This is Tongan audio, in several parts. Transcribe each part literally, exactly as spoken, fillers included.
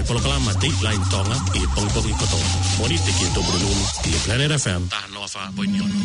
Polokalama Dateline Tonga ʻi he pongipongi kotoa. Mōnite ki he Tupulululu ʻi he Planet F M taha noa fā poini ono.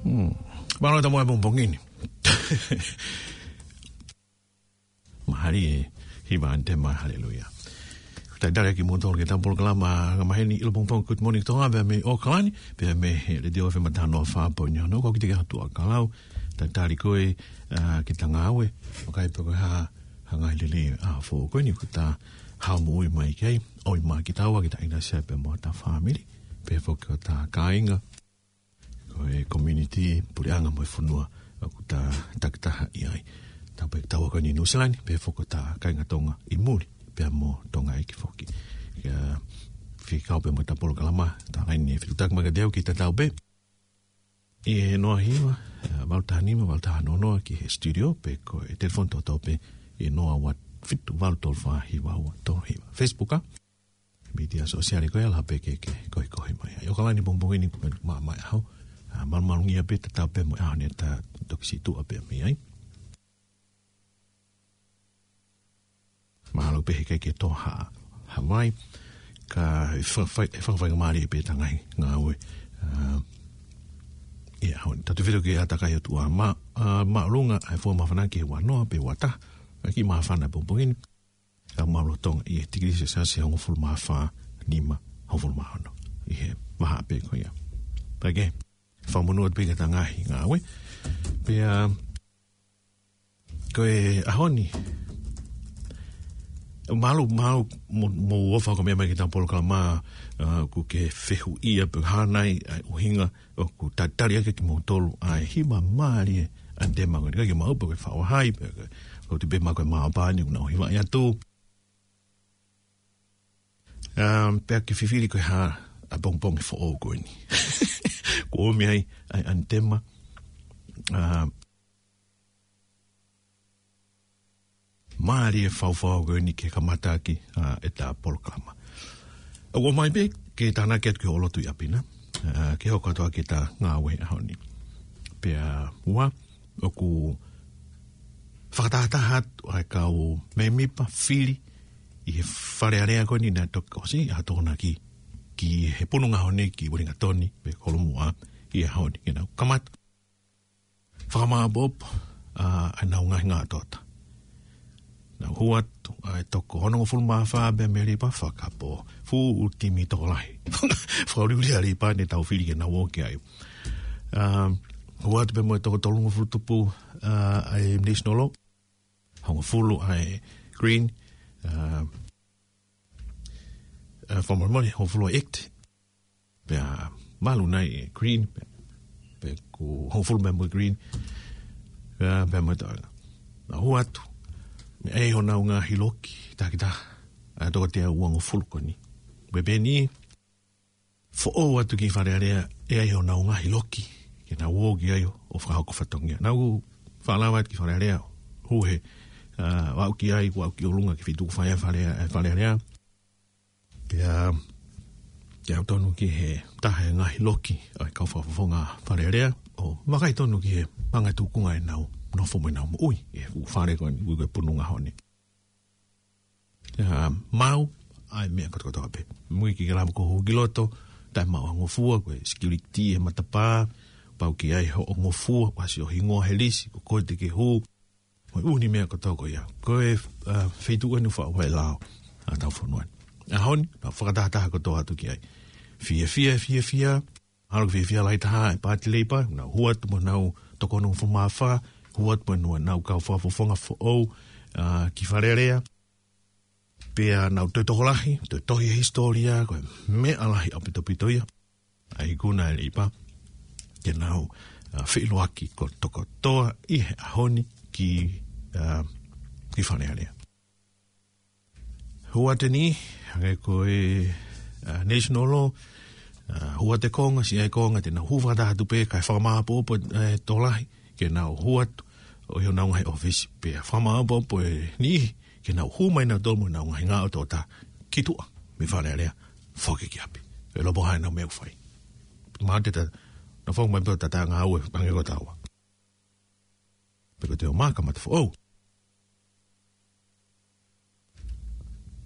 Hmm. Mālō e taumuʻa he pongipongi ni. Mālie, hiva ʻanetema, haleluia. Talitali ʻa kimoutolu ki heʻetau polokalama angamaheni ʻi he pongipongi Good Morning Tonga, pea mei ʻAokalani, pea mei he Letiō F M taha noa fā poini ono, ko au Kitike Hatuʻakalau. Talitali ko ē, ā, ki heʻeta ngāue, ʻo kai pē ko e hā, hā ngaahi lelei ʻa e foʻi ko eni kuo ta haʻu moʻui mai ki ai, ʻo ʻi māmani kitaua, kita ʻInasia pea mo hota fāmili, pea foki hota kāinga, ko e community, puleʻanga mo e fonua ʻoku ta takitaha ʻi ai. Tāpē kitaua ko eni ʻi Nuʻusila ni, pea foki hota kāinga Tonga ʻi muli, pea mo Tonga ʻeiki foki. Ka fekau pē mo ʻeta polokalama, talaange ʻe fetuʻutaki mai kiate au ke tatau pē ʻi he noa hiva, ā, valu taha nima, valu taha noa noa ki he studio, pe ko e telefoni toto pē ʻi he noa ua fitu valu tolu fā hiva ua tolu hiva. Facebook, ā? Mītia sōsiale ko ia, lava pē ke, ke koekoe mai. ʻA ia ʻAokalani pongipongi ni ko e meʻa mai ʻaho. Ā, malumalu ngia pē tatau pē mo e ʻaho ni ʻeta toki situʻa pē mei ai. Mahalo pē heʻikai ke tō ha, ha vai, ka ʻe fa-, fai, ʻe fakafaingamālie pē ʻeta ngaahi ngāue. Ā, ʻi he ʻaho ni. Tautefito ki he ʻātakai ʻo e ʻOtua, mā, ā, māʻolunga ʻa e fua māfana ki he ua noa pe ua taha, ʻa e kiʻi māfana pongipongi ni. Ka māʻolunga ʻi he tikilī selesiasi ʻe hongofulu mā fā, nima, hongofulu mā ono. ʻI he vahaʻa pē ko ia. Pea ke fakamonū atu pē ki heʻeta ngaahi ngāue. Pea ko e ʻaho ni, mālō, mālō mo, mo e ʻofa ko e meʻa mai ki heʻeta polokalama, ā, ʻoku ke fehuʻia pe hā nai ʻa e ʻuhinga ʻoku talitali ʻaki kimoutolu ʻa e hiva mālie ʻa e ʻanitema ko eni. ʻIkai ke mau pē ko e faʻu hai, pe ko e, ko e tuʻu pē mo e maopani ʻoku nau hivaʻi atu. Um, pea ke fifili ko e hā ʻa e pongipongi foʻou ko eni. Kuo ʻomi ai ʻa e ʻanitema, um, mālie faufau ko eni ke kamata ʻaki, ā, ʻeta polokalama. ʻOku ʻomai pē ke tānaki atu ki hoʻo lotu ʻi ʻapi na, ā, ke hoko atu ʻaki ʻeta ngāue he ʻaho ni. Pea ua, ʻoku fakatahataha atu ʻa e kau mēmipa fili ʻi he Fale Alea ko eni naʻe toki ʻosi ʻa e tokonaki ki he Pununga Hone ki Uelingatoni, pe Kolomuʻa, ʻi he ʻaho ni ke nau kamata fakamāʻopoʻopo, ā, ʻenau ngaahi ngātoto. Nau hū atu, ā, ʻa e toko onongofulu mā fā pē mei Leipa fakapō. Fuʻu timi tokolahi. Fakauliuli ʻa Leipa naʻa tau fili ke nau ō ki ai. Ā, hū atu pē mo e toko tolungofulu tupu, ā, ʻa e National Law. Hongofulu ʻa e Green, ā, ā, fakamolemole, hongofulu ʻa e Act. Pea malu nai ʻe Green, pea, pea ko e hongofulu pē mo e Green, pea, pea mo e toenga. Nau hū atu, meʻa ai honau ngaahi loki, takitaha, ʻa e toko teau uangofulu ko eni. Pea pehē ni, foʻou atu ki Fale Alea, ʻe ʻi ai honau ngaahi loki, ke nau ō ki ai ʻo, ʻo fakahoko fatongia. Nau fakalava atu ki Fale Alea, hū he, ā, ʻo aʻu ki ai, ʻo aʻu ki ʻolunga ki he feituʻu ʻoku fai ai ʻa e Fale, ʻa e Fale Alea. Pea, pea aʻu tonu ki he taha e ngaahi loki ʻa e kau fakafofonga Fale Alea, ʻo vakai tonu ki he anga e tūkunga ʻenau nofo mo ʻenau moʻui, ʻi he fuʻu fale ko eni, ui ko e Pununga Hone. Pea maau ʻa e meʻa kotokotoa pē. Mui ki he lava ko e hū ki loto, taʻemaʻu ha ngofua, ko e security he matapā, pau ke ʻi ai hoʻo ngofua, ʻosi hoʻo hingoa he lisi, ko koe te ke hū, mo e ʻū meʻa kotoa ko ia. Ko e, ā, feituʻu eni ʻoku faʻu ai e lao ʻa hotau fonua ni. ʻAho ni, nau fakatahataha kotoa atu ki ai. Fiefia, fiefia, ʻalu ki he fiefia lahi taha ʻa e Paati Leipa, nau hū atu mo honau toko onongofulu mā fā, hū atu mo honau kau fakafofonga foʻou, ā, ki Fale Alea. Pea nau toe tokolahi, toe tohi e hisitōlia, ko e meʻa lahi ʻaupito ʻaupito ia. ʻA e ikuna ʻa Leipa, ke nau, ā, feʻiloaki kotokotoa ʻi he ʻaho ni ki, ā, ki Fale Alea. Hū atu eni, hangē ko e, ā, National Law, ā, hū atu e konga, siʻi ʻa e konga, te nau hū fakataha atu pē, kae fakamāʻopoʻopo e tokolahi, ke nau hū atu, ʻo ʻi honau ngaahi ʻōfisi pē. Fakamāʻopoʻopo e niʻihi, ke nau hū mai nautolu mo ʻenau ngaahi ngāue ʻo taha, ki tuʻa, mei Fale Alea, foki ki ʻapi. ʻE lopo hai ʻenau meʻa ʻoku fai. Mate ta, na fong mai pē ʻo tata ngāue, hangē ko taua. Pe ko te o maka mata foʻou.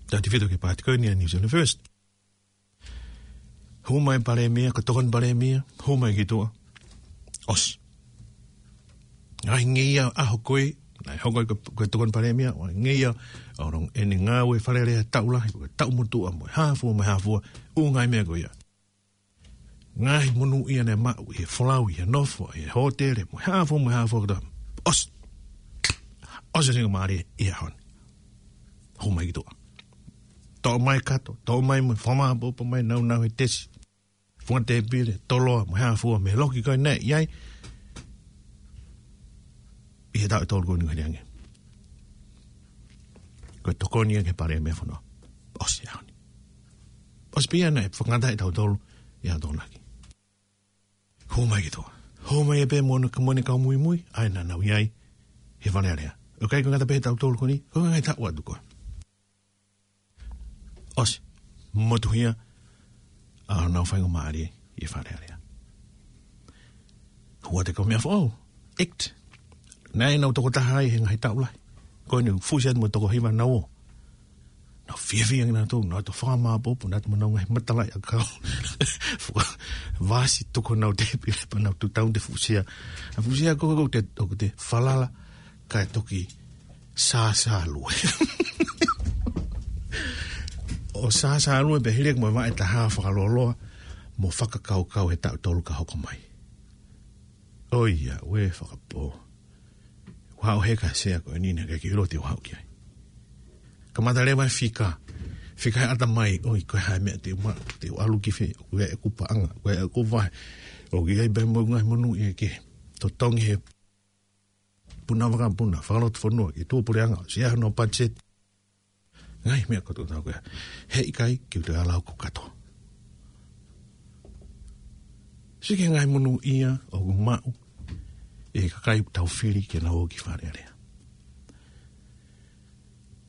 Tautefito ki he paati ko eni ʻa e New Zealand First. Hū mai e palēmia, ko e tokoni palēmia, hū mai ki tuʻa. ʻOsi. Ngaahi ngeia ʻaho ko ē, Naʻe hoko ai ko, ko e tokoni palēmia, ʻo ngeia, ʻo longo ʻene ngāue Fale Alea taʻu lahi, ko e taʻu motuʻa mo e hā fua, mo e hā fua, ʻū ngaahi meʻa ko ia. Ngaahi monū ia naʻe maʻu, ʻi he folau, ʻi he nofo, ʻi he hōtele, mo e hā fua, mo e hā fua kotoa. ʻOsi. ʻOsi e Faingamālie ʻi he ʻaho ni. Hū mai ki tuʻa. Toʻo mai kato, toʻo mai mo e fakamāʻopoʻopo mai naunau he tesi. Funga tēpile, toloa, mo e hā fua, mei he loki ko ē naʻe ʻi ai. ʻI he taʻu ʻe tolu ko eni ko eni ange. Ko e tokoni ia ki he Palēmia Fonua. ʻOsi e ʻaho ni. ʻOsi pē ia naʻe fakangata ai tautolu ʻi he Tokonaki. Hū mai ki tuʻa. Hū mai ē pē mo ʻene, mo ʻene kau muimui, ʻa ia naʻa nau ʻi ai he Fale Alea. ʻOku ʻikai ko e ngata pē he taʻu ʻe tolu ko eni, ko e ngaahi taʻu atu ko ē. ʻOsi, motuhia ʻa honau faingamālie ʻi he Fale Alea. Hū atu e kau meʻa foʻou, act. Naʻe nau tokotaha ai he ngaahi taʻu lahi. Ko eni fusi atu mo e toko hiva naʻa nau ō. Nau fiefia ange nautolu, nau ō atu ʻo fakamāʻopoʻopo, nau ō atu mo honau ngaahi matalaʻiʻakau. Fuka vasi tuku honau tēpile pea nau tuʻu taute fusia. ʻA e fusia ko ē ʻoku te, ʻoku te falala, kae toki sāsālue. ʻO sāsālue pē hili ʻeku mo e vaʻe taha fakaloloa, mo fakakaukau he taʻu ʻe tolu ka hoko mai. ʻOiauē fakapō. Ua haʻu he ka sea ko eni naʻe ʻikai ke u ʻilo te u haʻu ki ai. Kamata leva e fika. Fika he ʻatamai, ʻoi, ko e hā e meʻa te u maʻu, te u ʻalu ki fē, ko e ʻeku paʻanga, ko e ʻeku vahe. ʻOku ʻi ai pē mo e ngaahi monū ia ke totongi he puna vakapuna, fakalotofonua, ke tuʻu puleʻanga, ʻosi ʻi ai hono budget. Ngaahi meʻa kotoa ko ia. Heʻikai ke u toe ala ʻo kakato. Sio ki he ngaahi monū ia ʻoku maʻu ʻe he kakai ʻoku tau fili ke nau ō ki Fale Alea.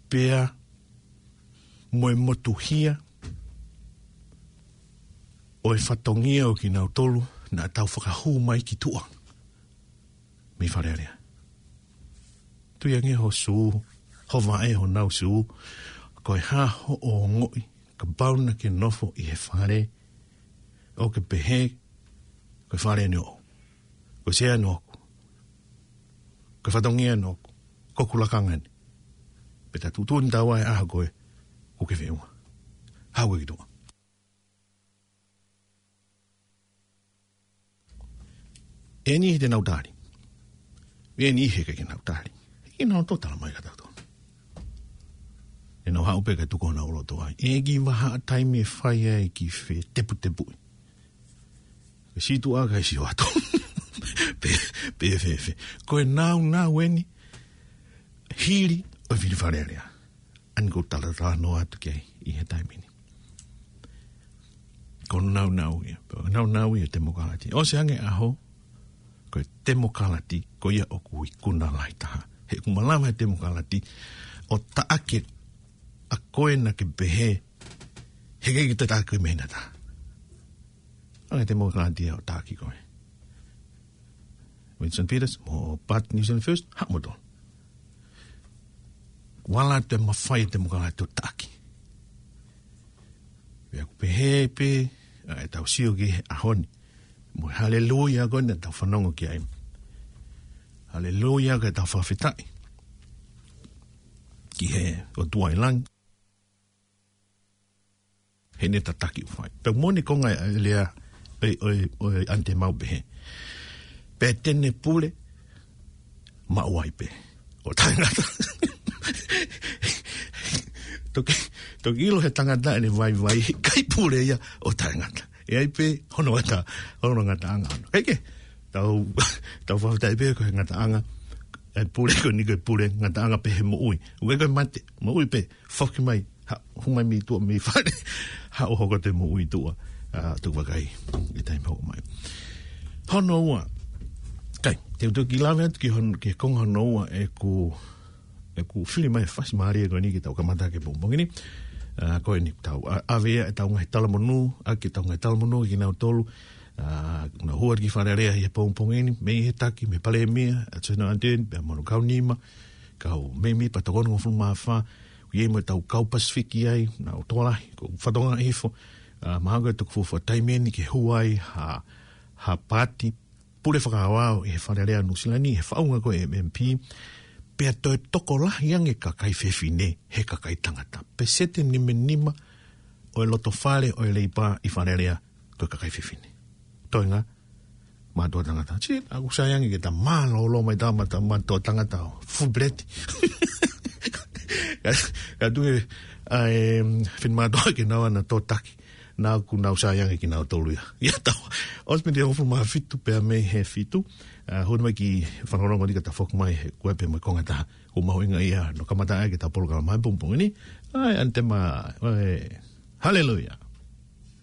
Pea mo e motuhia ʻo e fatongia ʻo kinautolu naʻa tau fakahū mai ki tuʻa mei Fale Alea. Tui ange ho sū, ho vaʻe, honau sū, ko e hā hoʻo ongoʻi, kapau naʻa ke nofo ʻi he fale, ʻo ke pehē, ko e fale eni ʻoʻoku, ko e sea eni ʻoʻoku, ko e fatongia eni ʻoʻoku, ko hoku lakanga eni. Pea ta tuʻutuʻuni taua he ʻaho ko ē ʻoku ke feʻunga. Haʻu koe ki tuʻa. ʻE niʻihi te nau tali. ʻE niʻihi heʻikai ke nau tali. Ke nau toe tala mai kia tautolu. ʻE nau haʻu pē kae tuku honau loto ai. ʻE ki vahaʻa taimi ʻe fai ai e kiʻi feteputepuʻi. Ke situʻa kae sio atu. Pe, pe fēfē. Ko e naunau eni. Hili ʻo e fili Fale Alea. ʻA eni ʻoku ou talatalanoa atu ki ai ʻi he taimi ni. Ko e naunau ia, ko e naunau ia e temokalati. ʻOsi ange ʻaho, ko e temokalati, ko ia ʻoku ikuna lahi taha. He ʻoku malava e temokalati ʻo taʻaki ʻa koe naʻa ke pehē, heʻikai ke te taʻaki mei he ngata. ʻA e temokalati ia ʻo taʻaki koe. Winston Peters mo Pat New Zealand First, haʻu moutolu. Vala te mafai e temokalati ʻo taʻaki. Pea ʻoku pehē pē ʻa ʻetau sio ki he ʻaho ni. Mo e haleluia ko ē naʻa tau fanongo ki ai. Haleluia ko ʻetau fakafetaʻi ki he ʻOtua ʻi langi. Heʻene tataki ʻoku fai. Pea moʻoni ko e ngaahi lea ʻo e, ʻo e, ʻo e ʻAnite Mau pehē. Pea te ne pule, maʻu ai pē ʻo taʻengata. Toki, toki ʻilo he tangata ʻene vaivai, ʻikai pule ia ʻo taʻengata. ʻE ʻi ai pē hono ngata, hono ngataʻanga. Kae kehe, tau, tau fakafetaʻi pē ko e ngataʻanga, ʻa e pule ko eni ko e pule, ngataʻanga pē he moʻui. ʻOku ʻikai ko e mate, moʻui pē, foki mai, ha, hū mai mei tuʻa mei fale, haʻu ʻo hoko atu e moʻui tuʻa, ʻa, tuku vakai, ʻi he taimi hoko mai. Hono ua, kai, te u toki lave atu ki hon-, ki he konga hono ua ʻeku, ʻeku fili mai e fasi mālie ko eni ke tau kamata ki he pongipongi ni. ʻA, ko eni tau, ʻa, ʻave ia ʻetau ngaahi talamonū, ʻa, ki heʻetau ngaahi talamonū kinautolu, ʻa, naʻa nau hū atu ki Fale Alea ʻi he pongipongi ni, mei he taki, mei he Palēmia, ʻAtosina Ardern, pea mo hono kau nima, kau mēmipa tokoni hongofulu mā fā, ʻoku ʻi ai mo ʻetau kau Pasifiki ai, naʻa nau tokolahi, ko e fatongia hifo, ʻa, mahalo ko e toki fuofua taimi eni ke hū ai ha, ha paati pule fakaaoao ʻi he Fale Alea Nuʻusila ni, he faʻunga ko e M M P, Pea toe tokolahi ange kakai fefine he kakai tangata. Peseti nima nima ʻo e loto fale ʻo e Leipa ʻi Fale Alea ko e kakai fefine. Toenga, mātuʻa tangata. Sī, ʻoku sai ange ke ta mālōlō mai ta ma ta mātuʻa tangata ʻo fuʻu peleti. Ka, ka tuʻu ʻa e, finemātuʻa ke nau ʻana tōtaki. Naʻa ku nau sai ange kinautolu ia. Ia tau. ʻOsi miniti ʻe hongofulu mā fitu pea mei he fitu. ʻA, hū mai ki fanongonongo ni ka ta foki mai he kua pē mai konga taha. Ko mahuʻinga ia, no kamata ai ke ta polokalama he pongipongi ni. ʻAi, ʻanitema, ʻai, haleluia.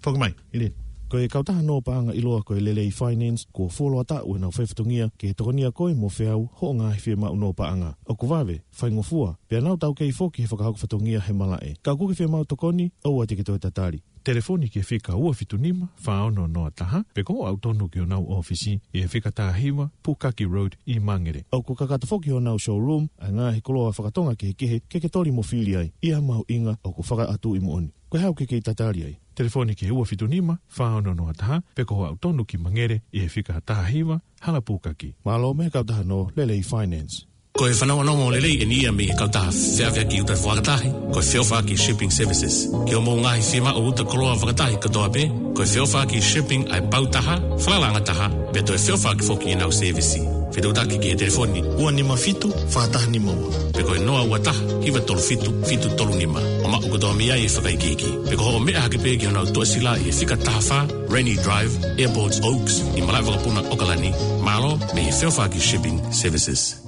Foki mai, ʻIlini. Ko e kautaha nō paʻanga ʻiloa ko e Lelei Finance, kuo fuoloa taʻu ʻenau fai fatongia ke tokonia koe mo feau hoʻo ngaahi fiemaʻu nō paʻanga. ʻOku vave, faingofua, pea nau taukei foki he fakahoko fatongia he malaʻe. Ka ʻoku ke fiemaʻu tokoni, ʻoua te ke toe tatali. Telefoni ki he fika ua fitu nima, fā ono noa taha, pe ko hoʻo aʻu tonu ki honau ʻōfisi ʻi he fika taha hiva, Pukaki Road ʻi Mangere. ʻOku kakato foki honau showroom ʻa e ngaahi koloa fakatonga kehekehe ke ke toli mo fili ai. ʻI ha mahuʻinga ʻoku fakaʻatuʻi moʻoni. Ko e hā ʻoku ke kei tatali ai? Telefoni ki he ua fitu nima, fā ono noa taha, pe ko hoʻo aʻu tonu ki Mangere ʻi he fika taha hiva, Hala Pukaki. Mālō mei he kautaha nō Lelei Finance. Ko e fanongonongo lelei ʻeni ia mei he kautaha feʻaveʻaki uta fakatahi, ko e Feʻofaʻaki Shipping Services. Ki hoʻomou ngaahi fiemaʻu uta koloa fakatahi kotoa pē, ko e Feʻofaʻaki Shipping ʻa e pau taha, falalaʻanga taha, pea toe feʻofaʻaki foki ʻenau sēvisi. Fetuʻutaki ki he telefoni ua nima fitu, fā taha nima ua, pe ko e noa ua taha, hiva tolu fitu, fitu tolu nima. ʻO maʻu kotoa mei ai e fakaikiiki. Pe ko hoʻo meʻa hake pē ki honau tuʻasila ʻi he fika taha fā, Rainy Drive, Airport Oaks, ʻi Malaʻevakapuna, ʻAokalani. Mālō mei he Feʻofaʻaki Shipping Services.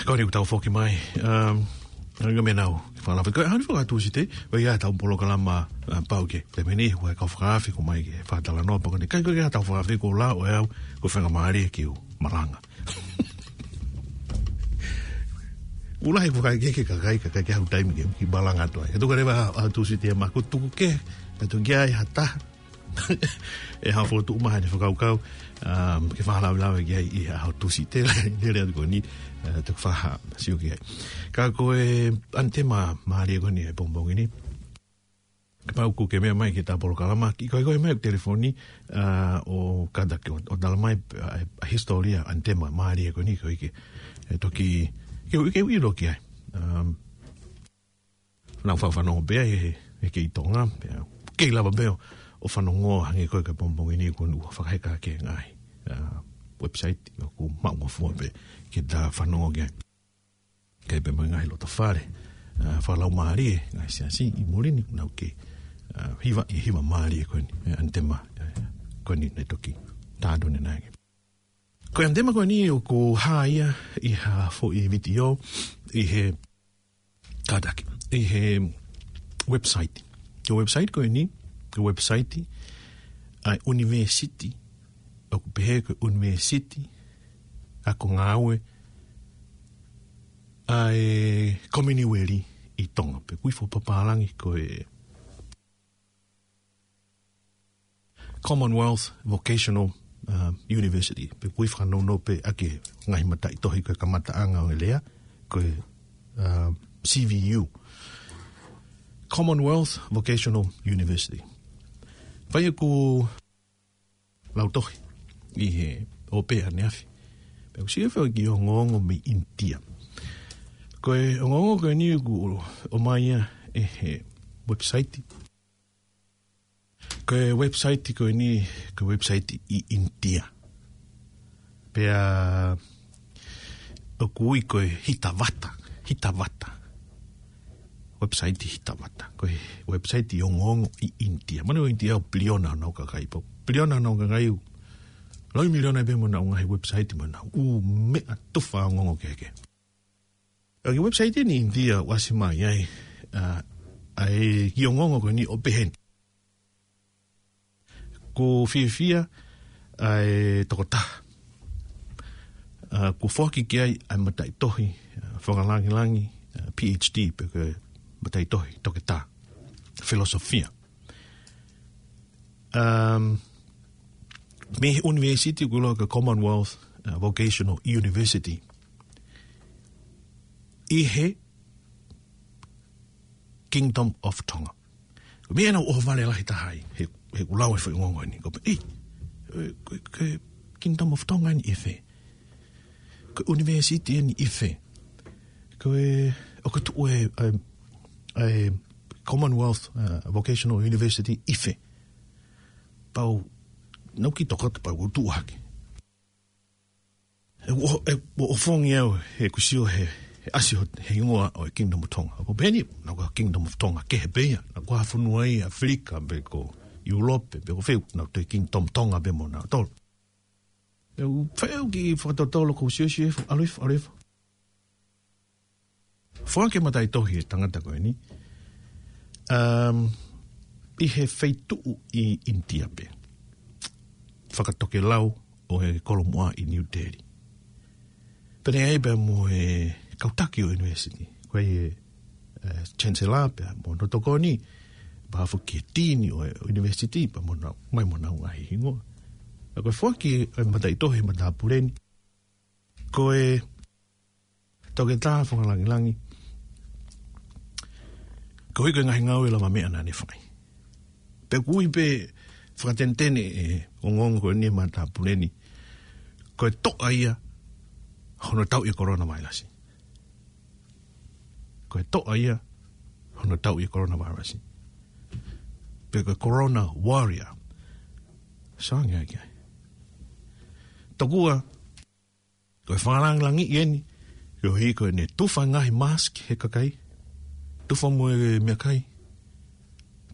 Ko eni ʻoku tau foki mai, um, ʻa ia meʻa naʻa ku fakaʻamu ke fai, ʻa ia fakaʻatu site, ʻo ia ʻetau polokalama, uh, pau ke, te meni, ua e kau fakaafe ko mai ke fakatalanoa pea ko eni, kai ko e ʻetau fakaafe ko lau ʻe au, ko e faingamālie ke u malanga. ʻUluaki ko e kakai ke, ke kakai, kakai ke hau taimi ke, ke malanga atu ai. Ka tuku leva ʻa, ʻa Tūsite ia maku tuku ke, ka tuku ki ai ha taha. ʻE hau fotu uma hane fakakaukau, um, ke fakalavelave ki ai ʻi ha ʻaho Tūsite, lele atu ko eni, uh, tuku faha, sio ki ai. Ka ko e ʻanitema mālie ko eni he pongipongi ni. Kapau ʻoku ke meʻa mai ki heʻeta polokalama, ke koe koe mai ʻo telefoni, ʻa, ʻo kātaki ʻo, ʻo tala mai, ʻa, ʻa e hisitōlia ʻanitema mālie ko eni ko ē ke, ʻe toki, ke, ke ʻilo ki ai. Um, nau fau fanongo pē he, he, he kei Tonga, pea, kei lava pē ʻo, ʻo fanongo hangē ko e ka pongipongi ni ko eni ʻoku fakaheka ke ngaahi, ʻa, website, ʻoku maʻungofua pē ke ta fanongo ki ai. Kei pē mai ngaahi loto fale, ʻa, fakalaumālie, ngaahi siasi ʻi muli ni, nau ke, ʻa, hiva, ʻi hiva mālie ko eni, ʻe, ʻanitema, ʻe, ko eni ne toki, tādo ne nage. Ko e ʻanitema ko eni ʻoku hā ia ʻi ha foʻi vitiō, ʻi he kātaki, ʻi he website. Ko e website ko eni, ko e website, ʻa e university, ʻoku pehē ko e university, ʻa ko ngāue, ʻa e Kominiueli ʻi Tonga, pe kui fo papālangi ko e Commonwealth Vocational, uh, University. Pe kui fakanounou pē ʻaki e ngaahi mataʻitohi ko e kamataʻanga ʻo e lea, ko e, uh, C V U. Commonwealth Vocational University. Fai ʻeku lautohi ʻi he ʻope ʻaneafi. Pea u sio feo ki he ongoongo mei ʻInitia. Ko e ongoongo ko eni ʻoku ʻomai ia ʻe he website. Ko e website ko eni, ko e website ʻi ʻInitia. Pea ʻoku ui ko e Hitavata, Hitavata. Website Hitavata. Ko e website ʻi ongoongo ʻi ʻInitia. Manu ʻInitia ʻoku piliona honau kakai pau. Piliona honau kakai ʻoku. Laui miliona pē mo honau ngaahi website mo honau. ʻŪ meʻa tufa ongoongo kehekehe. ʻA e website ʻi ʻInitia ʻoku ʻasi mai ai, ʻa, ʻa e kiʻi ongoongo ko eni ʻoku pehē ni. Kuo fiefia ʻa e tokotaha. ʻA, kuo foaki ki ai ʻa e mataʻitohi, ʻa, fakalāngilangi, ʻa, P H D, pe ko e mataʻitohi toketā. Filosofia. Um, mei he university ʻoku ʻiloa ko e Commonwealth, uh, Vocational University. ʻi he Kingdom of Tonga. Ko e meʻa naʻe ʻohovale lahi taha ai, he, he kuo lau e foʻi ongoongo ni. Ko e pehē, ʻi, ʻe, ko e, ko e Kingdom of Tonga ni ʻi fē? Ko e university ni ʻi fē? Ko e, ʻoku tuʻu e, e, e Commonwealth, uh, Vocational University ʻi fē? Pau, naʻá ku kiʻi tokoto pau, ʻo tuʻu hake. ʻE, ʻo, ʻe, ʻo, ʻo fongi au, he kuo sio he, he ʻasi ho, he hingoa ʻo e Kingdom of Tonga. Ko e pehē ni, naʻa ko e Kingdom of Tonga kehe pē ia, naʻa ko ha fonua ia ʻAfilika, pe ko ʻIulope, pe ko fē, naʻa ko e Kingdom Tonga pē mo nautolu. ʻE, ʻoku ou fai au kiʻi fakatotolo, ʻoku ou sio, sio, ʻalu hifo, ʻalu hifo. Foaki e mataʻitohi e tangata ko eni. Um, ʻi he feituʻu ʻi ʻInitia pē. Fakatokelau ʻo e kolomuʻa ʻi New Delhi. Pea ne ʻi ai pē mo e kau taki ʻo e university. Ko e, e, Chancellor pea mo hono tokoni, pea foki e Dean ʻo e university, pea mo nau, mai mo nau ngaahi hingoa. Pea ko e foaki e mataʻitohi matāpule ni. Ko e Toketā Fakalangilangi, koeʻuhi ko e ngaahi ngāue lavameʻa naʻá ne fai. Pea ʻoku ui pē fakatenetene e ongoongo ko eni e matāpule ni, ko e toʻa ia hono tauʻi e coronavirus. Ko e toʻa ia hono tauʻi e coronavirus. Pe ko e corona warrior. Sio ange ai ki ai. Tokua, ko e fakalangilangiʻi eni, koeʻuhi ko ʻene tufa ngaahi mask he kakai, tufa mo e meʻakai,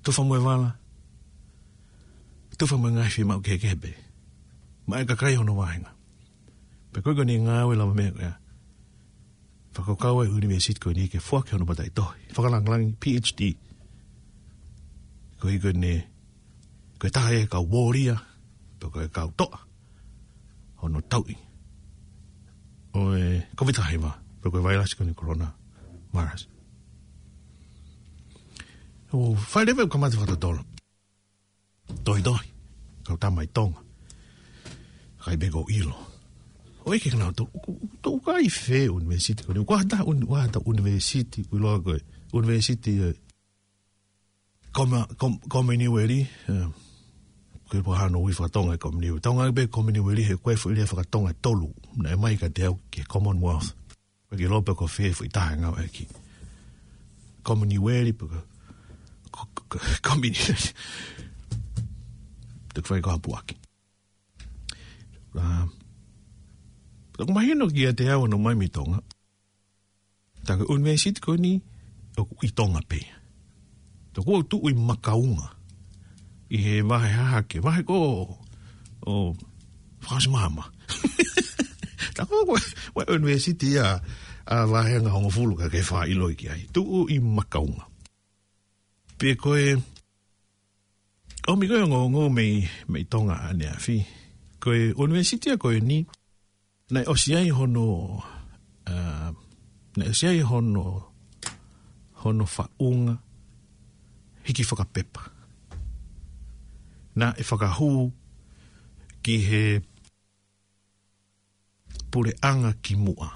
tufa mo e vala, tufa mo e ngaahi fiemaʻu kehekehe pē maʻá e kakai hono vāhenga. Pea ko e ko ʻene ngāue lavameʻa ko ia, fakakaukau ai e university ko eni ke foaki hono mataʻitohi fakalangilangi, PhD. Koeʻuhi ko ʻene, ko e taha ia e kau warrior, pe ko e kau toʻa hono tauʻi ʻo e COVID taha hiva, pe ko e vailasi ko eni coronavirus. ʻO fai leva e kamata fakatotolo. Tohitohi, kau tama ʻi Tonga. Kai pē ko ʻilo. ʻOku ʻikai ke nau tō, ʻoku, ʻoku tō kai fē university ko eni. ʻOku ʻi ai ha uni-, ʻoku ʻi ai ha university, ʻoku ʻiloa ko e university, e, Koma-, Kom-, Kominiueli, e, ko e pō hano ui fakatonga e Kominiueli. Tonga pē Kominiueli he ko e foʻi lea fakatonga ʻe tolu naʻe ʻomai kiate au ki he Commonwealth. Ko e ki lope ko fē foʻi taha ngāueʻaki. Kominiueli pe ko, ko, ko, ko, Kominiueli. Te ke fai ko hapuaki. ʻA, ʻoku mahino kiate au hono ʻomai mei Tonga. Tā ko e university ko eni, ʻoku ʻi Tonga pē. Tā ko ʻoku tuʻu ʻi Makaunga. ʻI he vahe hahake, vahe ko ē ʻo Fakasimama. Tā ko ē ko e, ko e university ia, ʻa e vāhenga hongofulu ka ke fāʻiloʻi ki ai. Tuʻu ʻi Makaunga. Pea ko e, ʻomi ko e ongoongo mei, mei Tonga ʻaneafi. Ko e university ia ko eni, naʻe ʻosi ai hono, ʻa, naʻe ʻosi ai hono, hono faʻunga hiki fakapepa. Naʻe fakahū ki he puleʻanga kimuʻa.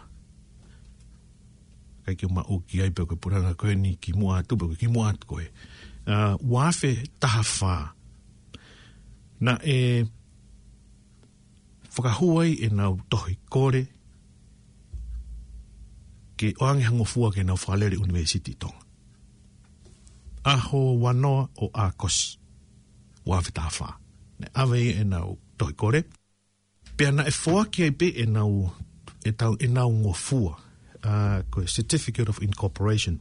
ʻIkai ke u maʻu ki ai pe ko e puleʻanga ko eni kimuʻa atu, pe ko e kimuʻa atu ko ē. ʻA, ua afe taha fā. Naʻe fakahū ai ʻenau tohi kole ke ʻoange ha ngofua ke nau fakalele ʻunivēsiti ʻi Tonga. ʻAho ua noa ʻo ʻAokosi, ua afe taha fā. Naʻe ʻave ai ʻenau tohi kole. Pea naʻe foaki ai pē ʻenau, ʻetau, ʻenau ngofua, ʻa, ko e Certificate of Incorporation.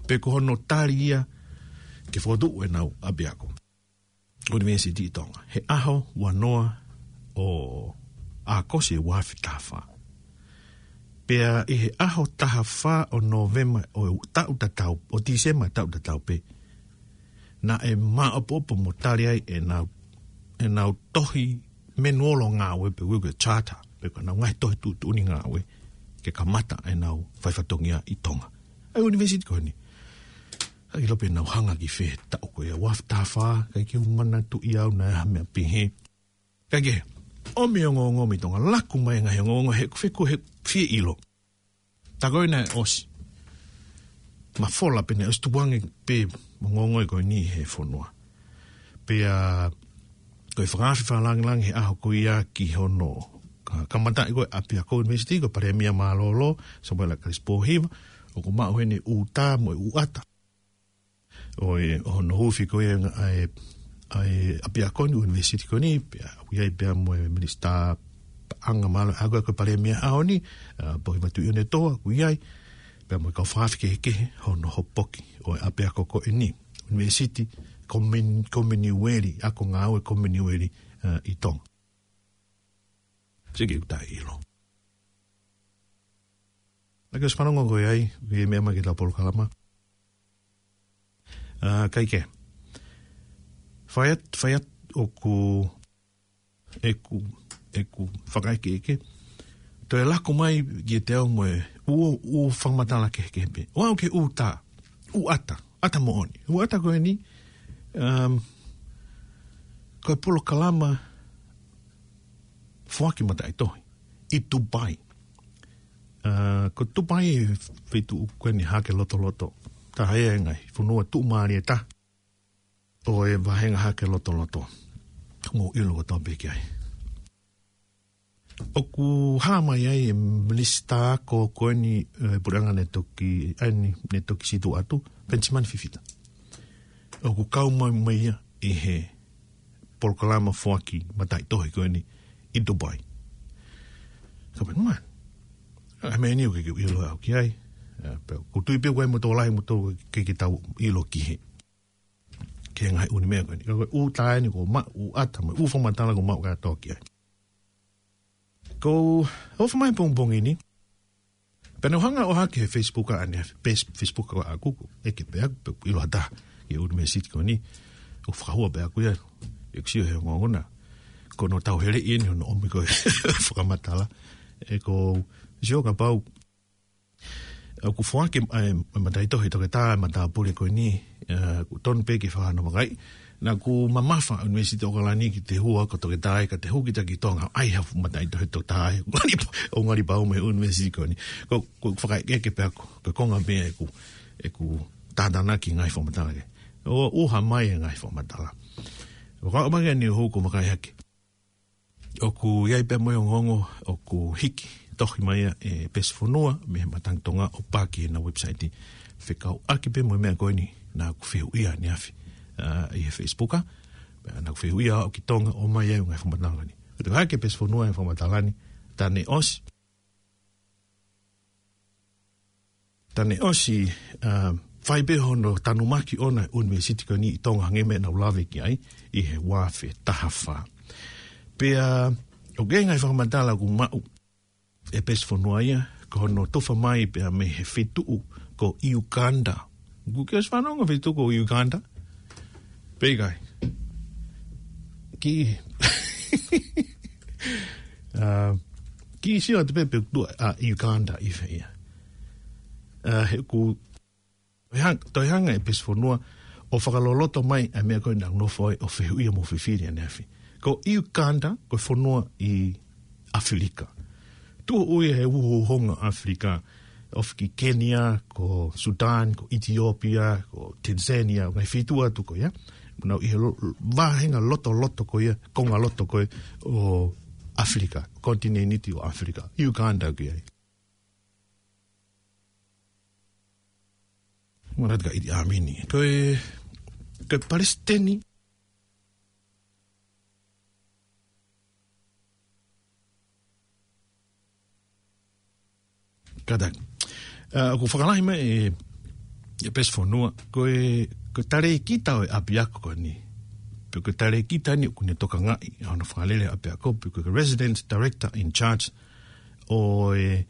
Pe ko hono tali ia ke fokotuʻu ʻenau ʻapiako ʻunivēsiti ʻi Tonga. He ʻaho ua noa ʻo ʻAokosi ua afe taha fā. Pea ʻi he ʻaho taha fā ʻo Nōvema ʻo e taʻu tatau, ʻo Tīsema taʻu tatau pē, naʻe māʻopoʻopo mo tali ai ʻenau, ʻenau tohi menuolo ngāue pe ko e charter, pe ko ʻenau ngaahi tohi tuʻutuʻuni ngāue, ke kamata ʻenau fai fatongia ʻi Tonga. ʻA e ʻunivēsiti ko eni. ʻIkai ke u ʻilo pe naʻa nau hanga ki fē he taʻu ko ia, ua afe taha fā, ʻikai ke u manatuʻi au naʻe ʻi ai ha meʻa pehē. Kae kehe, ʻomi ongoongo mei Tonga, laku mai e ngaahi ongoongo he, he, he fie ʻilo. Tā ko ē naʻe ʻosi mafola pē naʻe ʻosi tukuange pē mo e ongoongo ko eni he fonua. Pea ko e fakaafe fakalāngilangi he ʻaho ko ia ki hono ka-, kamataʻi ko ē ʻapiako ʻunivēsiti, ko e Palēmia mālōlō, Samuela Kalisi Pōhiva, ʻoku maʻu heni ʻū tā mo e ʻū ʻata ʻo e, ʻo hono huufi ko ia ʻa e, ʻa e ʻapiako ni, ʻunivēsiti ko eni, pea ʻoku ʻi ai pea mo e minisitā paʻanga mālōlō, ʻa ia ko e Palēmia ʻaho ni, ʻa, Pōhiva Tuʻiʻone Toa, ʻoku ʻi ai, pea mo e kau fakaafe kehekehe, hono hopoki ʻo e ʻapiako ko eni, ʻunivēsiti, komeni-, komeniueli, ako ngāue komeniueli, ʻa, ʻi Tonga. Siki uta ilo. Naʻa ke ʻosi fanongo koe ai, ʻi he meʻa mai ki heʻetau polokalama. ʻA, kae kehe. Fai atu, fai atu ʻoku, ʻeku, ʻeku fakaʻekeʻeke. Toe lako mai kiate au mo e ʻū, ʻū fakamatala kehekehe pē. ʻO aʻu ki he ʻū tā, ʻū ʻata, ʻata moʻoni. ʻŪ ʻata ko eni, um, ko e polokalama foaki mataʻitohi ʻi Dubai. ʻA, ko Dubai ʻa e feituʻu ko eni hake lotoloto. Taha ia e ngaahi fonua tuʻumālie taha ʻo e vāhenga hake lotoloto. Mou ʻilo kotoa pē ki ai. ʻOku hā mai ai e minisitā ko, ko eni, ʻe, puleʻanga naʻe toki, ʻa eni, naʻe toki situʻa atu, Penisimani Fifita. ʻOku kau mai, mai ia ʻi he polokalama foaki mataʻitohi ko eni ʻi Dubai. Ka pehē mai, ʻa, meʻa ni ʻoku ʻikai ke u ʻilo au ki ai. ʻA, pea, ʻoku ou tui pē ʻoku ʻi ai mo e tokolahi mo e tokolahi ke, ke tau ʻilo ki he ki he ngaahi ʻū meʻa ko eni. Ka ko e ʻū tā eni ʻoku maʻu, ʻū ʻata mo e ʻū fakamatala ʻoku maʻu kātoa ki ai. Ko e ʻofa mai pongipongi ni, pea naʻa ku hanga ʻo hake he Facebook ʻaneafi, page Facebook ʻaʻaku, ʻeke pē ʻaku, pe ʻilo ha taha ki he ʻunivēsiti ko eni, ʻoku fakahua pē ʻaku ia, ʻeku sio he ongoongo na. Ko hono tauheleʻi eni hono ʻomi ko ē fakamatala. ʻE, ʻoku ou sio kapau ʻoku foaki, ʻa e, mataʻitohi toketā, matāpule ko eni, ʻa, ʻoku tonu pē ke fakahano vakai. Naʻa ku mamafa ʻUnivēsiti ʻOkalani ki he hū ko e toketā ia ka te hū kita ki Tonga, ʻai ha fuʻu mataʻitohi toketā ia. ʻO ngali pau mei he ʻunivēsiti ko eni. Ko, ko e fakaʻekeʻeke pē ʻaku, ko e konga pē ʻeku, ʻeku tātānaki ngaahi fakamatala kehe. ʻO, ʻuha mai e ngaahi fakamatala. ʻO ka ʻomai eni hū ko e vakai hake. ʻOku ʻi ai pē mo e ongoongo, ʻoku hiki tohi mai ia ʻe Pesi Fonua, mei he Matangi Tonga ʻo pā ki heʻena website. Fekauʻaki pē mo e meʻa ko eni, naʻa ku fehuʻia ʻaneafi, ʻa, ʻi he Facebook, ʻa. Pea naʻa ku fehuʻia ʻo aʻu ki Tonga ʻo ʻomai ai e ngaahi fakamatala ni. ʻOku toe hake Pesi Fonua e fakamatala ni, tā ne ʻosi. Tā ne ʻosi, ʻa, fai pē hono tanumaki ʻona e ʻunivēsiti ko eni ʻi Tonga hangē ko e meʻa naʻa ku lave ki ai ʻi he ua afe taha fā. Pea, ʻoku ʻi ai e ngaahi fakamatala ʻoku maʻu ʻe Pesi Fonua ia, ko hono tufa mai pea mei he feituʻu ko Uganda. ʻOku ke ʻosi fanongo feituʻu ko Uganda? Pea ʻikai. Ki, ʻa, kiʻi sio atu pē pe ʻoku tuʻu ʻa Uganda ʻi fē ia. ʻA, he ʻoku toe hang-, toe hanga ʻe Pesi Fonua ʻo fakaloloto mai ʻa e meʻa ko ē naʻa ku nofo ai ʻo fehuʻia mo fifili ʻaneafi. Ko Uganda, ko e fonua ʻi ʻAfilika. Tuʻo ui he uhouhonga ʻAfilika, ofi ki Kenia, ko Sudan, ko ʻItiopia, ko Tanzania, ngaahi feituʻu atu ko ia. Nau ʻi he lo-, vāhenga lotoloto ko ia, konga loto ko ē ʻo ʻAfilika, konitinēniti ʻo ʻAfilika, Uganda ko ia. Manatu ka Idi Amini. Ko e, ko e palesiteni Kātaki. ʻA, ʻoku fakalahi mai ʻe, ʻe Pesi Fonua, ko e, ko e talēkita ʻo e ʻapiako ko eni. Pe ko e talēkita eni ʻoku ne tokangaʻi ʻa hono fakalele ʻapiako, pe ko e resident director in charge ʻo e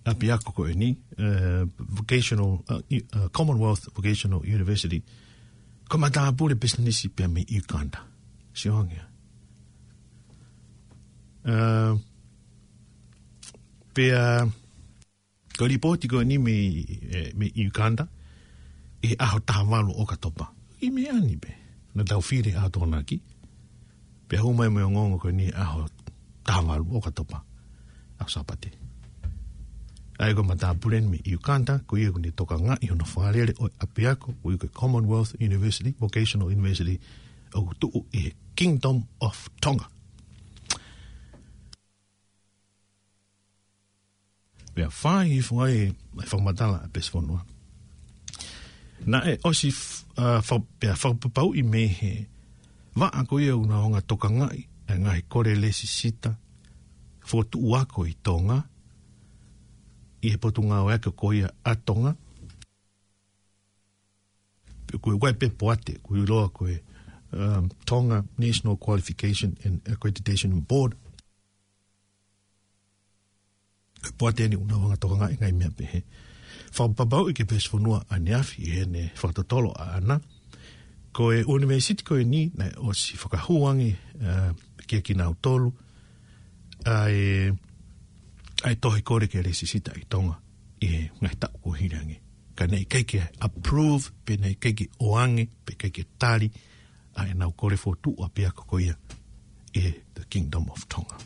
ʻapiako ko eni, ʻa, vocational, ʻa, i-, ʻa, Commonwealth Vocational University. Ko e matāpule pisinisi pea mei Uganda. Sio ange. ʻA, pea, ko e lipooti ko eni mei, ʻe, mei Uganda, ʻi he ʻaho taha valu ʻo ʻOkatopa. ʻI meʻa ni pē, naʻa tau fili ʻa Tokonaki, pea hū mai mo e ongoongo ko eni ʻaho taha valu ʻo ʻOkatopa, ʻaho Sāpate. ʻA ia ko e matāpule eni mei Uganda, ko ia ʻoku ne tokangaʻi hono fakalele ʻo e ʻapiako, ko ia ko e Commonwealth University, Vocational University, ʻoku tuʻu ʻi he Kingdom of Tonga. Pea fai hifo ai e fakamatala ʻa Pesifonua. Naʻe ʻosi f-, ʻa, fa-, pea fakapapauʻi mei he vaʻa ko ia ʻoku nau hanga ʻo tokangaʻi ʻa e ngaahi kole lēsisita fokotuʻu ako ʻi Tonga, ʻi he Potungāue Ako ko ia ʻa Tonga. Ko e, ko e pē poate, ko e ʻiloa ko e, um, Tonga National Qualification and Accreditation Board. Ko e poate eni ʻoku nau hanga ʻo tokangaʻi e ngaahi meʻa pehē. Fakapapauʻi ʻe Pesifonua ʻaneafi ʻi heʻene fakatotolo ʻaʻana, ko e ʻunivēsiti ko eni naʻe ʻosi fakahū ange, uh, kia kinautolu ʻa e, ʻa e tohi kole ke lēsisita ʻi Tonga ʻi he ngaahi taʻu kuo hili ange. Ka naʻe ʻikai ke approve, pe naʻe ʻikai ke ʻoange, pe ʻikai ke tali ʻa ʻenau kole fokotuʻu ʻapiako ko ia ʻi he the Kingdom of Tonga.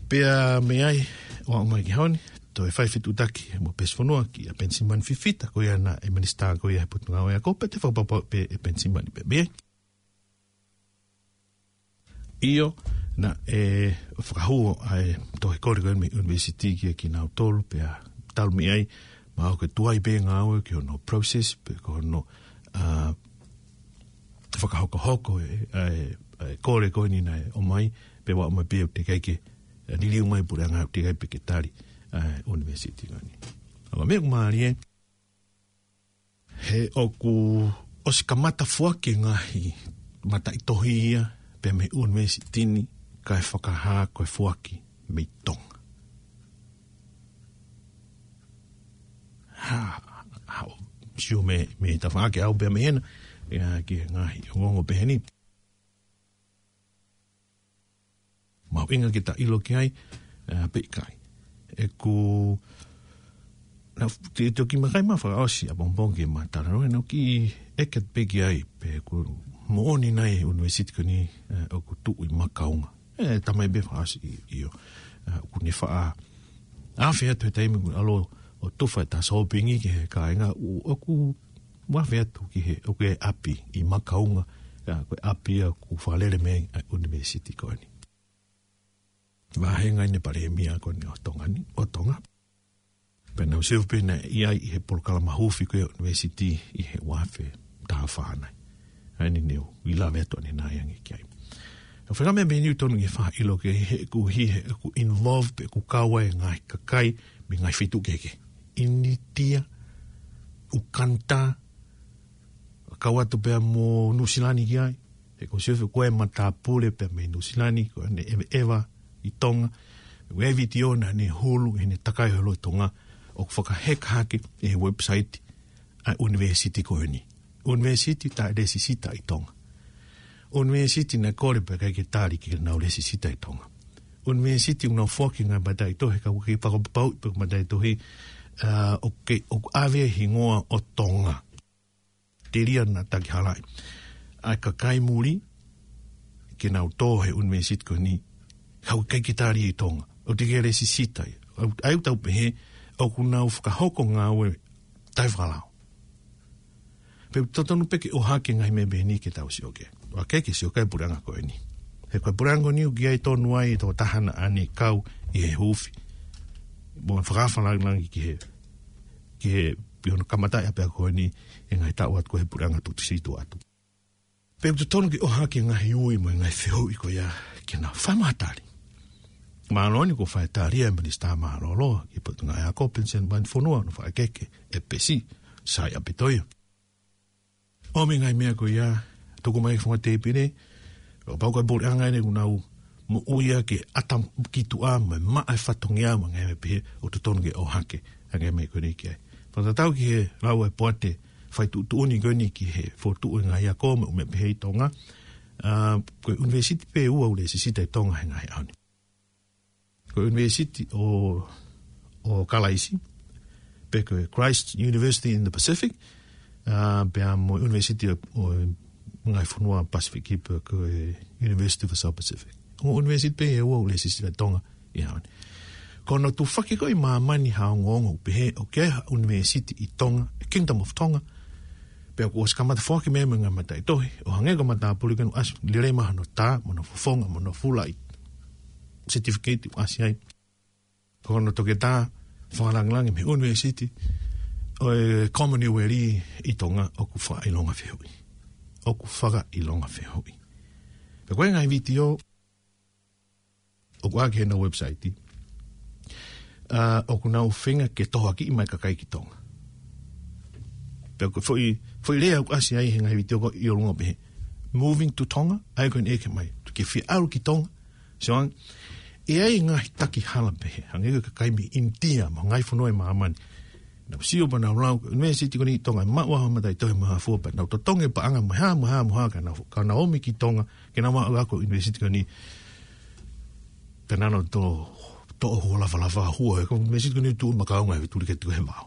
Pea mei ai, ʻo aʻu mai ki he ʻaho ni, toe fai fetuʻutaki mo Pesifonua kia Penisimani Fifita, ko ia naʻe minisitā ko ia he Potungāue Ako, pea te fakapapauʻi pē ʻe Penisimani pē mei ai. ʻIo, naʻe fakahū ʻa e tohi kole ko eni mei he ʻunivēsiti kia kinautolu, pea talu mei ai, mahalo ko e tuai pē ngāue ki hono process, pe ko hono, ʻa, fakahokohoko e, ʻa e, ʻa e kole ko eni naʻe ʻomai, pea ʻomai pē ʻoku teʻeki ai ke, ʻa, liliu mai e puleʻanga ʻoku teʻeki ai pē ke tali, ʻa e ʻunivēsiti ko eni. ʻA, meʻa ʻoku mālie, he ʻoku ʻosi kamata foaki e ngaahi mataʻitohi ia pea mei he ʻunivēsiti ni kae fakahā ko e foaki mei Tonga. Ha, ha, sio mei, mei tafaʻaki au pea mei hena, ʻa, ki he ngaahi ongoongo pehē ni. Mahuʻinga ke ta ʻilo ki ai, ʻa, pe ʻikai. ʻOku, naʻa te toki makai ma fakaʻosi ʻapongipongi ke ma talanoa, naʻa ku kiʻi ʻeke pē ki ai, pe ʻoku moʻoni nai e ʻunivēsiti ko eni, ʻa, ʻoku tuʻu ʻi Makaunga. ʻE, talamai pē fakaʻosi ʻio. ʻA, ʻoku ne faʻa afe atu he taimi ʻoku ʻalu ʻo tufa ʻeta sōpingi ki he kāinga, ʻo, ʻoku ʻoku afe atu ki he, ʻoku ʻi ai e ʻapi ʻi Makaunga, ʻa, ko e ʻapi ia ʻoku fakalele mei ai ʻa e ʻunivēsiti ko eni. Vāhenga eni e palēmia ko eni ʻo Tonga ni, ʻo Tonga. Pea naʻa ku sio pē naʻe ʻi ai ʻi he polokalama huufi ko ia ʻo e ʻunivēsiti ʻi he ua afe taha fā nai. ʻA eni ne u ʻi lave atu ʻanenai ange ki ai. ʻA e faʻahinga meʻa pehē ni ʻoku totonu ke faʻa ʻilo ki ai he ʻoku ʻi he, ʻoku involve pe ʻoku kau ai e ngaahi kakai mei he ngaahi feituʻu kehekehe. ʻInitia, ʻUkanda, kau atu pea mo Nuʻusila ni ki ai. He ʻoku ou sio ʻoku ʻi ai e matāpule pea mei Nuʻusila ni, ʻoku ne ʻeveʻeva ʻi Tonga. ʻOku ʻi ai e vitiō naʻa ne hulu ʻi heʻene takai holo ʻi Tonga, ʻoku fakaheka hake ʻi he website ʻa e ʻunivēsiti ko eni. ʻUnivēsiti taʻelēsisita ʻi Tonga. ʻUnivēsiti naʻe kole pea ʻikai ke tali ke nau lēsisita ʻi Tonga. ʻUnivēsiti ʻoku nau foaki e ngaahi mataʻitohi, ka ʻoku ʻikai fakapapauʻi pe ko e mataʻitohi, ʻa, ʻoku, ʻoku ʻave e hingoa ʻo Tonga. Telia naʻa takihalaʻi ʻa e kakai muli ke nau tō he ʻunivēsiti ko eni, ka ʻoku ʻikai ke tali ʻi Tonga. ʻOku teʻeki ai lēsisita ia. ʻA ia ʻoku tau pehē, ʻoku nau fakahoko ngāue taʻefakalao. Pea ʻoku totonu pē ke ʻohake e ngaahi meʻa pehē ni ke tau sio ki ai. ʻOua ʻe ke sio ki ai e puleʻanga ko eni. He ko e puleʻanga ko eni ʻoku ʻi ai tonu ai e tokotaha naʻa ne kau ʻi he huufi mo e fakaafe lāngilangi ki he, ki he, ʻi hono kamataʻi ʻapiako ko eni ʻi he ngaahi taʻu atu ko ē he puleʻanga Tuʻisituʻa atu. Pea ʻoku totonu ke ʻohake e ngaahi ui mo e ngaahi fehuʻi ko ia ke nau fai mai ha tali. Mālō eni kuo fai e tali ʻa e Minisitā Mālōlō ki he Potungāue Ako, Penisini mo e Fonua, ʻo fakaʻekeʻeke ʻe Pesi, Saiʻapitoia. ʻOmi e ngaahi meʻa ko ia, tuku mai ki he funga tēpile, ʻo pau ko e puleʻanga eni ʻoku nau moʻui ʻaki e ʻata ki tuʻa mo e maʻa e fatongia mo e ngaahi meʻa pehē, ʻoku totonu ke ʻohake ʻa e ngaahi meʻa ko eni ki ai. Fakatatau ki he lau ʻa e poate fai tuʻutuʻuni ko eni ki he fokotuʻu e ngaahi ako mo e meʻa pehē ʻi Tonga, ʻa, ko e ʻunivēsiti pē ʻe ua ʻoku lēsisita ʻi Tonga he ngaahi ʻaho ni. Ko e ʻUnivēsiti ʻo, ʻo Kalaisi, pe ko e Christ University in the Pacific, ʻa, pea mo e ʻUnivēsiti ʻo, ʻo e Ngaahi Fonua Pasifiki, pe ko e University of the South Pacific. Ongo ʻunivēsiti pē ʻe ua ʻoku lēsisita ʻi Tonga ʻi he ʻaho ni. Ko hono tufaki ko ē ʻi māmani ha ongoongo ʻoku pehē ʻoku ʻi ai ha ʻunivēsiti ʻi Tonga, Kingdom of Tonga, pea kuo ʻosi kamata foaki mei ai mo e ngaahi mataʻitohi, ʻo hangē ko e matāpule ko eni ʻoku ʻasi lelei mai hono tā, mo hono fofonga, mo hono fuʻu certificate ʻoku ʻasi ai. Ko hono toketā fakalāngilangi mei he ʻunivēsiti ʻo e Commonwealth ʻi Tonga ʻoku fakaʻilonga fehuʻi. ʻOku fakaʻilonga fehuʻi. Pea ko e ngaahi vitiō ʻoku ʻi ai ki heʻenau website. ʻA, ʻoku nau feinga ke tohoakiʻi mai e kakai ki Tonga. Pea ko e foʻi, foʻi lea ʻoku ʻasi ai he ngaahi vitiō ko ē ʻi ʻolunga pehē, "Moving to Tonga, ʻa ia ko eni ʻeke mai. Ke fie ʻalu ki Tonga?" So, ʻi ai e ngaahi taki hala pehē. Hangē ko e kakai mei ʻInitia, mo e ngaahi fonua ʻi māmani. Nau sio pea nau lau, ʻunivēsiti ko eni ʻi Tonga, maʻu ha mataʻitohi mo ha fua pea nau totongi e paʻanga mo e hā, mo e hā, mo e hā, ka nau, ka nau ō mai ki Tonga, ke nau maʻu ako ʻunivēsiti ko eni. Pea nau toʻo, toʻo hua lafalafa hua, he ko e ʻunivēsiti ko eni ʻoku tuʻu makaunga ʻe tuli ke tuʻu he vao.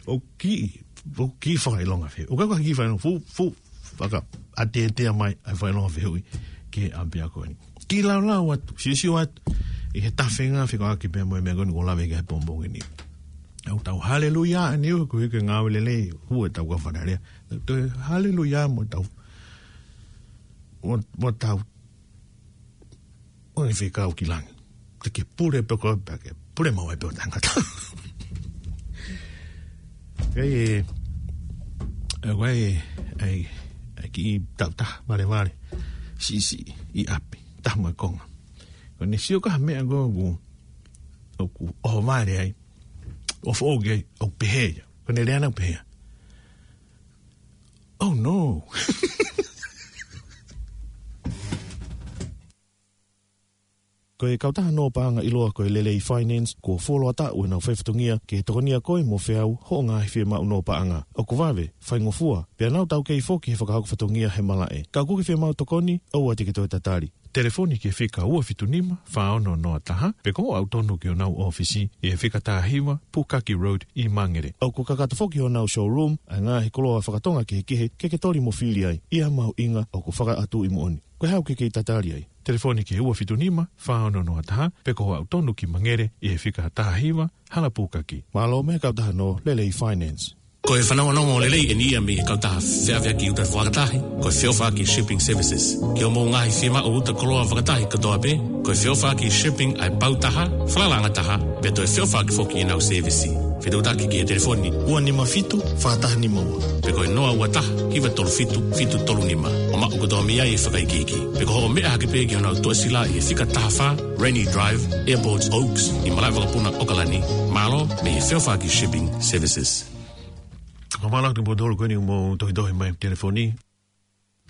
ʻOku kiʻi, ʻoku kiʻi fakaʻilonga fehuʻi. ʻOku ʻikai ko ha kiʻi fakaʻilonga, fuʻu, fuʻu fakaʻateatea mai ʻa e fakaʻilonga fehuʻi ki he ʻapiako ni. Kiʻi laulau atu, siosio atu ʻi he tafenga fekauʻaki pea mo e meʻa ko eni kuo lave ki ai he pongipongi ni. ʻOku tau haleluia ʻa e niu, ko e hiki ngāue lelei, hū ʻetau kau Fale Alea. Toe haleluia mo tau, mo, mo tau ʻo ne fekau ki langi. Te ke pule pē koe pea ke pule maʻu ai pē ʻo tangata. Kai e, e, kai e, ai, ai kiʻi tautaha, vale, vale. Siʻisiʻi, ʻi ʻapi, taha mo e konga. Ko ʻene sio ki ha meʻa ko ē ʻoku, ʻoku ʻohovale ai, ʻoku foʻou ki ai, ʻoku pehē ia. Ko ʻene lea naʻe pehē ia. Oh no. Ko e kautaha nō paʻanga ʻiloa ko e Lelei Finance, kuo fuoloa taʻu ʻenau faifatongia ke tokonia koe mo feau hoʻo ngaahi fiemaʻu nō paʻanga. ʻOku vave, faingofua, pea nau taukei foki he fakahoko fatongia he malaʻe. Ka ʻoku ke fiemaʻu tokoni, ʻoua te ke toe tatali. Telefoni ki he fika ua fitu nima, fā ono noa taha, pe ko hoʻo aʻu tonu ki honau ʻōfisi ʻi he fika taha hiva, Pukaki Road ʻi Mangere. ʻOku kakato foki honau showroom ʻa e ngaahi koloa fakatonga kehekehe ke ke toli mo fili ai, ʻi ha mahuʻinga ʻoku fakaʻatuʻi moʻoni. Ko e hā ʻoku ke kei tatali ai? Telefoni ki he ua fitu nima, fā ono noa taha, pe ko hoʻo aʻu tonu ki Mangere ʻi he fika taha hiva, Hala Pukaki. Mālō mei he kautaha nō Lelei Finance. Ko e fanongonongo lelei eni ia mei he kautaha feʻaveʻaki uta fakatahi, ko e Feʻofaʻaki Shipping Services. Ki hoʻomou ngaahi fiemaʻu uta koloa fakatahi kotoa pē, ko e Feʻofaʻaki Shipping ʻa e pau taha, falalaʻanga taha, pea toe feʻofaʻaki foki ʻenau sēvisi. Fetuʻutaki ki he telefoni ua nima fitu, fā taha nima ua, pe ko e noa ua taha, hiva tolu fitu, fitu tolu nima. ʻO maʻu kotoa mei ai e fakaikiiki. Pe ko hoʻo meʻa hake pē ki honau tuʻasila ʻi he fika taha fā, Rainy Drive, Airport Oaks, ʻi malaʻe vakapuna ʻOkalani. Mālō mei he Feʻofaʻaki Shipping Services. Ka mālō atu ki he potolu ko eni ʻoku mou tohitohi mai telefoni.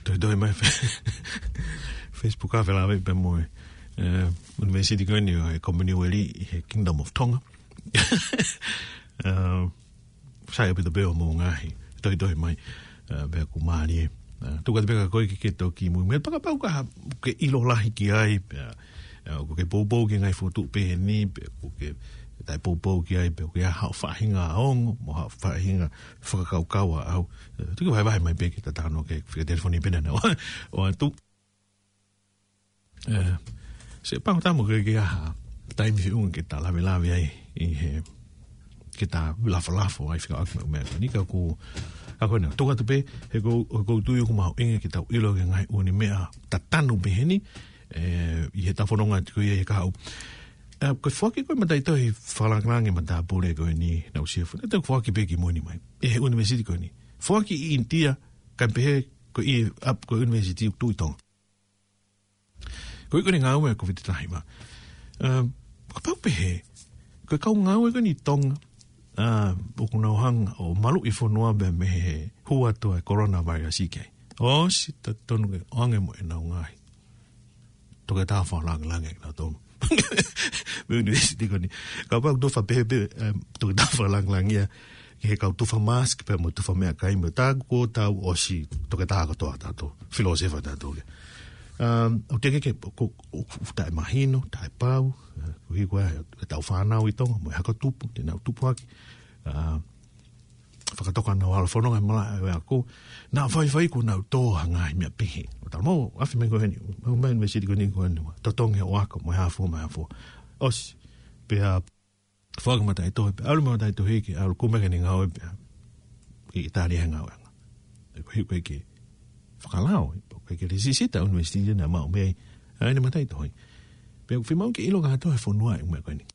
Tohitohi mai fe-, Facebook a felāveʻi pea mo e, eh, ʻunivēsiti ko eni ʻo e Commonwealth ʻi he Kingdom of Tonga. Eh, sai ʻaupito pē hoʻomou ngaahi tohitohi mai, eh, pea ʻoku mālie. Eh, tuku atu pē kia koe ke ke toki muimui. Pea kapau ʻoku ke ʻilo lahi ki ai, pea, eh, ʻoku ke poupou ki he ngaahi fokotuʻu pehē ni, pea ʻoku ke taʻepoupou ki ai, pea ʻoku ʻi ai haʻo faʻahinga ongo, mo haʻo faʻahinga fakakaukau ʻaʻau. Eh, toki vahevahe mai pē ke ta talanoa ki he fika telefoni pē naʻa ne ʻoatu. Eh, sai pango tamo ke, ke ʻi ai ha taimi feʻunga ke ta lavelave ai ʻi he, ke ta lafalafo ai fekauʻaki mo e meʻa ko eni ka ʻoku, ka ko ena, tuku atu pē, he ʻoku, ʻoku ou tui ʻoku mahuʻinga ke tau ʻilo ki he ngaahi ʻū meʻa tatanu pehē ni, eh, ʻi heʻetau fononga atu ko ia he kahaʻu. Eh, ko e foaki ko ē mataʻitohi fakalāngilangi matāpule ko eni naʻe ʻosi fua. Naʻe toe foaki pē ki muʻa ni mai. ʻI he ʻunivēsiti ko eni. Foaki ʻi ʻInitia, kae pehē ko e, ap, ko e ʻunivēsiti ʻoku tuʻu ʻi Tonga. Ko e ʻikai ko ʻene ngāue ko e fititahi ma. Eh, kapau pehē, ko e kau ngāue ko eni ʻi Tonga, eh, ʻoku nau hanga ʻo maluʻi fonua pea mei he hū atu ʻa e coronavirus ʻi ai. ʻOsi totonu ke ʻoange mo ʻenau ngaahi toketā fakalāngilangi ʻa kinautolu mei he ʻunivēsiti ko eni. Kapau ʻoku tufa pehē pē, eh, toketā fakalāngilangi ia, ki he kau tufa mask pea mo e tufa meʻakai mo e taku ko tau ʻosi toketā kotoa tautolu, filōsefa tautolu ia. Um, ʻoku teʻeki ke, ko, ʻoku taʻemahino, taʻepau, eh, koeʻuhi ko e, ʻetau fānau ʻi Tonga, mo e hako tupu, te nau tupu hake. Ah, fakatoka naʻa nau ʻalu ʻo fononga he malaʻe ʻo e ako, naʻe faifai kuo nau tō ha ngaahi meʻa pehē. ʻO talamai, ʻafi mai ko eni, ʻomai ʻunivēsiti ko eni ko eni, totongi ʻo ako, mo e hā fua, mo e hā fua. ʻOsi, pea foaki mataʻitohi, pea ʻalu mataʻitohi ke ʻalu kumi ʻene ngāue pea ʻi ʻItālia he ngāueʻanga. He ko e ʻikai ke fakalao, he ko e ʻikai ke lēsisita ʻunivēsiti naʻe maʻu mei ai ʻene mataʻitohi. Pea ʻoku fiemaʻu ke ʻilo kātoa he fonua e meʻa ko eni.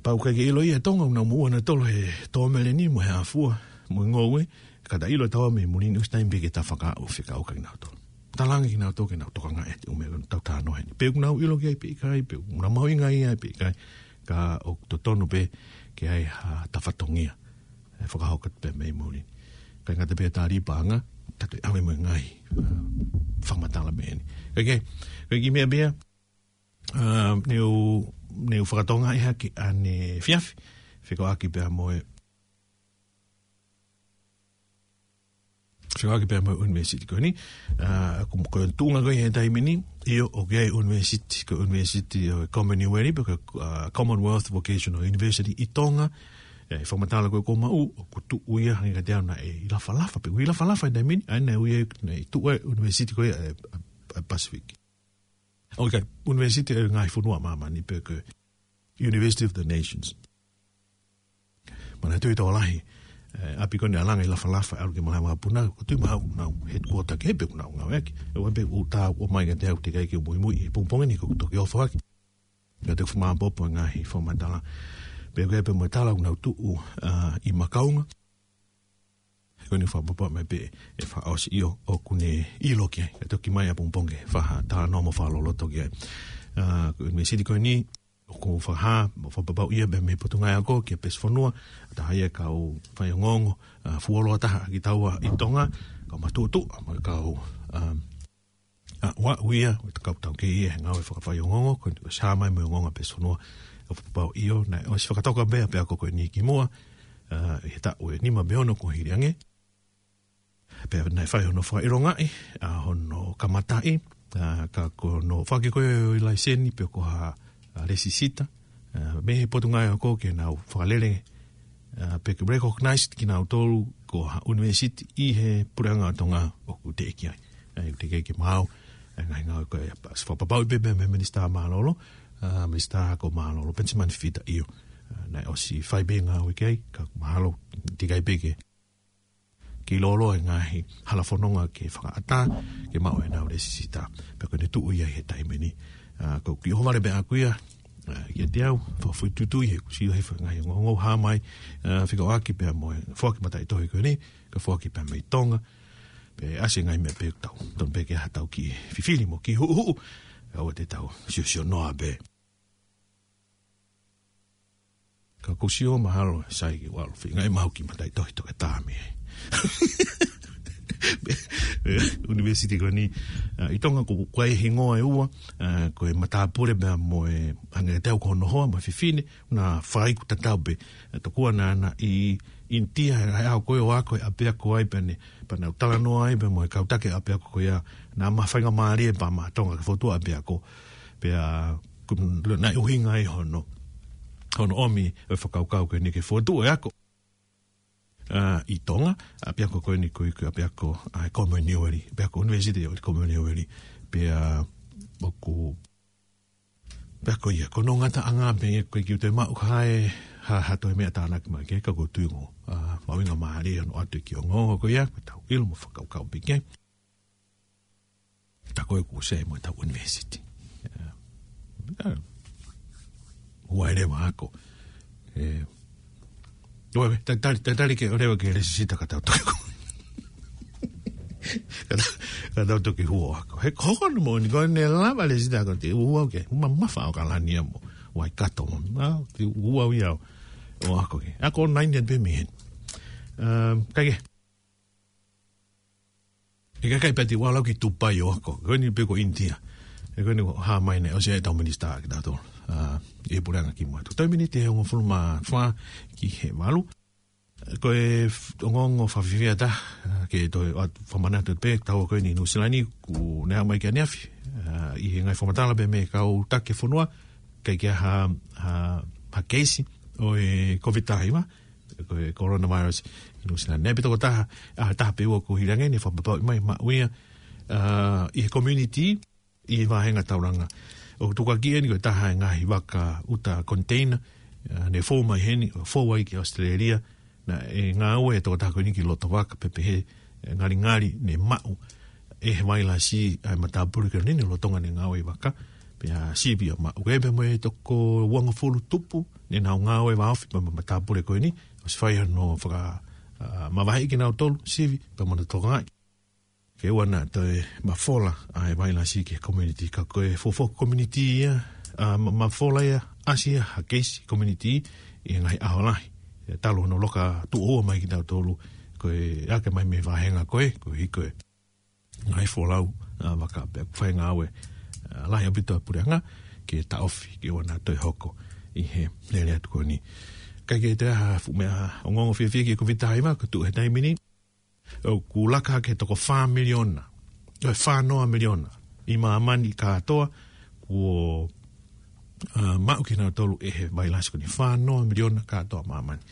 Pea ʻoku ʻikai ke ʻilo ia ʻe Tonga, ʻoku nau moʻua nautolu he tō meleni mo e hā fua, mo e ngoue, ka ta ʻilo ʻe taua mei muli ni ʻosi taimi pē ke ta fakaʻau fekauʻaki kinautolu. Talaange kinautolu ke nau tokangaʻi ʻa e ʻū meʻa ko eni ʻoku tau talanoa heni. Pe ʻoku nau ʻilo ki ai pe ʻikai, pe ʻoku nau mahuʻingaʻia pe ʻikai, ka ʻoku totonu pē ke ʻi ai ha tafatongia ʻe fakahoko atu pē mei muli. ʻIkai ngata pē he tali paʻanga, ka toe ʻave mo e ngaahi, ā, fakamatala mei heni. ʻIkai ke, ʻikai ke meʻa pē ia, ā, ne u, ne u fakatokangaʻi hake ʻaneefiafi, fekauʻaki pea mo e, fekauʻaki pea mo e ʻunivēsiti ko eni, ā, ko, ko e tuʻunga ko ē he taimi ni, ʻio, ʻoku ʻi ai e ʻunivēsiti, ko e ʻunivēsiti ʻo e Commonwealth, pe ko e, ā, Commonwealth Vocational University ʻi Tonga, ē, ʻi he fakamatala ko ē kuo maʻu, ʻoku tuʻu ia hangē kiate au naʻe ʻi Lafalafa, pe ʻoku ʻi Lafalafa he taimi ni, ʻa ia naʻe ui ai, naʻe tuʻu ai e ʻunivēsiti ko ē, ē, ē, Pacific. ʻOku ʻikai, ʻunivēsiti ʻo e ngaahi fonua ʻo māmani pe ko e University of the Nations. Manatuʻi tokolahi, ē, ʻapi ko eni ʻa Langa ʻi Lafalafa, ʻalu ki malaʻe vakapuna, ʻoku ou tui mahalo ʻoku nau headquarter ki ai pe ʻoku nau ngāueʻaki. ʻOua pē ʻoku ta ʻomai kiate au teʻeki ai ke muimui he pongipongi ni ko e toki ofo hake. Ka te u fakamaʻopoʻopo e ngaahi fakamatala. Pea ko e pē mo e tala ʻoku nau tuʻu, ā, ʻi Makaunga. Ko eni fakapapau mai pē ʻe fakaʻosi ʻio ʻoku ne ʻilo ki ai. Ka toki mai ʻapongipongi ke fakatalanoa mo fakaloloto ki ai. Ā, ko e ʻunivēsiti ko eni, ʻoku fakahā, mo fakapapauʻi ia pē mei he Potungāue Ako ki he peesi fonua, taha ia e kau faiongoongo, ā, fuoloa taha ʻa kitaua ʻi Tonga, kau matuʻotuʻa, mo e kau, ā, ā, ʻuaʻu ia, ʻo e kau taukei ia he ngāue fakafaiongoongo, ko eni ʻosi hā mai mo e ongoongo ʻa e peesi fonua, ʻoku fakapapauʻi ʻio, naʻe ʻosi fakatoka pē ʻa e ʻapiako ko eni kimuʻa, ā, ʻi he taʻu ʻe nima pe ono kuo hili ange. Pea naʻe fai hono fakaʻilongaʻi, ā, hono kamataʻi, ā, ka ko hono foaki ko ē ʻo e laiseni pe ko ha, ā, lēsisita, ā, mei he Potungāue Ako ke nau fakalele, ā, pe ke recognize kinautolu ko ha ʻunivēsiti ʻi he puleʻanga ʻo Tonga ʻoku teʻeki ai. Ā, ʻoku teʻeki ai ke maʻu, ā, ngaahi ngāue ko ia. Pea ʻosi fakapapauʻi pē mei he Minisitā Mālōlō, ā, Minisitā Ako Mālōlō, Penisimani Fifita ʻio. Ā, naʻe ʻosi fai pē ngāue ki ai, ka mahalo teʻeki ai pē ke ke loloa e ngaahi hala fononga ke fakaʻatā, ke maʻu ʻenau lēsisita. Pea ko eni tuʻu ia he taimi ni. Ā, ko e kiʻi ʻohovale pē ʻaʻaku ia, ā, kiate au, fakafoʻituitui he ʻoku sio he fanga ngaahi ongoongo hā mai, ā, fekauʻaki pea mo e foaki mataʻitohi ko eni, ka foaki pē mei Tonga, pea ʻasi e ngaahi meʻa pē ʻoku tau, tonu pē ke ʻi ai haʻatau kiʻi fifili mo kiʻi huʻuhuʻu, ʻoua te tau siosio noa pē. Ka ʻoku ou sio mahalo, sai ke u ʻalu ʻo feingaʻi maʻu kiʻi mataʻitohi toketā mei he ʻunivēsiti ko eni. Ā, ʻi Tonga ʻoku ʻi ai e hingoa ʻe ua, ā, ko e matāpule pea mo e hangē kiate au ko hono hoa, mo e fefine, naʻa nau fai ʻoku tatau pē. Ā, tokua naʻa na ʻi ʻInitia, he ʻaho ko ē ʻo ako he ʻapiako ai pea ne, pea nau talanoa ai pea mo e kau taki ʻapiako ko ia, naʻa ma faingamālie pea ma Tonga ke fokotuʻu ʻapiako. Pea, ko, naʻe ʻuhinga ai hono, hono ʻomi e fakakaukau ko eni ke fokotuʻu e ako. Ā, ʻi Tonga, ʻapiako ko eni ko e, ko e ʻapiako, ā, Commonwealth, ʻapiako ʻunivēsiti ʻo e Commonwealth, pea, ʻoku, pea ko ia, ko hono ngataʻanga pē ia ko e kiʻi toe maʻu ha e, ha, ha toe meʻa tānaki mai ke, ka ʻoku ou tui ʻoku, ā, mahuʻinga mālie hono ʻoatu e kiʻi ongoongo ko ia, ko ʻetau ʻilo mo fakakaukau pē ki ai. Tā ko ē ʻoku sai mo ʻetau ʻunivēsiti. Ā, ā, ua ʻe leva ako. Ē, ua, ta-, tali, ta-, tali ke ʻo leva ke lēsisita ka tau toki. Ka tau, ka tau toki hū ʻo ako. He ko hono moʻoni ko ʻene lava lēsisita ako te u hū au ki ai. Ma, mamafa ʻAokalani ia mo Waikato mo. Ā, te u hū au ia ʻo, ʻo ako ki ai. Ako online ia pē mei heni. Ā, kae kehe. ʻIkai ke pehē te u ʻalu au ki Tupai ʻo ako. Ko eni pē ko ʻInitia. He ko eni ʻoku hā mai naʻe ʻosi ʻi ai ʻetau minisitā kitautolu. Ā, ʻi he puleʻanga kimuʻa. Tuku taimi ni ʻe hongofulu mā fā ki he valu. Ko e f-, ongoongo fakafiefia atu, ā, ke toe ʻoatu fakamanatu pē, taua ko eni ʻi Nuʻusila ni, kuo ne aʻu mai ki ʻaneafi. Ā, ʻi he ngaahi fakamatala pē mei he kau taki fonua, ʻikai ke ʻi ai ha, ha, ha keisi ʻo e Covid taha hiva. ko e coronavirus ʻi Nuʻusila ni. Pea tokotaha, ʻaho ʻe taha pe ua kuo hili ange, ne fakapapauʻi mai maʻu ia, ā, ʻi he community, ʻi he vāhenga taulanga. ʻOku tukuakiʻi eni ko e taha e ngaahi vaka ʻuta container, ā, ne fou mai heni, ʻo fou ai ki ʻAositelēlia, naʻe ngāue e tokotaha ko eni ki loto vaka pea pehē, ē, ngalingali ne maʻu ʻe he vailasi ʻa e matāpule ko eni lolotonga ʻene ngāue ʻi vaka, pea sivi ia maʻu. Ko e pea mo e toko uangofulu tupu, ne nau ngāue vāofi pea mo e matāpule ko eni, ʻosi fai hono faka, ā, mavaheʻi kinautolu, sivi, pea mo hono tokangaʻi. Ke ʻoua naʻa toe mafola ʻa e vailasi ki he community, ka ko e fuofua community ia, ā, ma-, mafola ia, ʻasi ia ha keisi community ʻi he ngaahi ʻaho lahi. ʻE talu hono loka tuʻo ua mai kitautolu, ko e ake mai mei he vāhenga ko ē, koeʻuhi ko e ngaahi folau, ā, vaka pea ʻoku fai ngāue, ā, lahi ʻaupito ʻa e puleʻanga ke taʻofi, ke ʻoua naʻa toe hoko ʻi he lele atu ko eni. Kae kehe, ʻi he taha fuʻu meʻa ongoongo fiefia ki he Kōviti taha hiva, ko e tuʻu he taimi ni, ʻoku laka hake he toko fā miliona, ʻe fā noa miliona ʻi māmani kātoa kuo, ā, maʻu kinautolu ʻe he vailasi ko eni. Fā noa miliona kātoa māmani.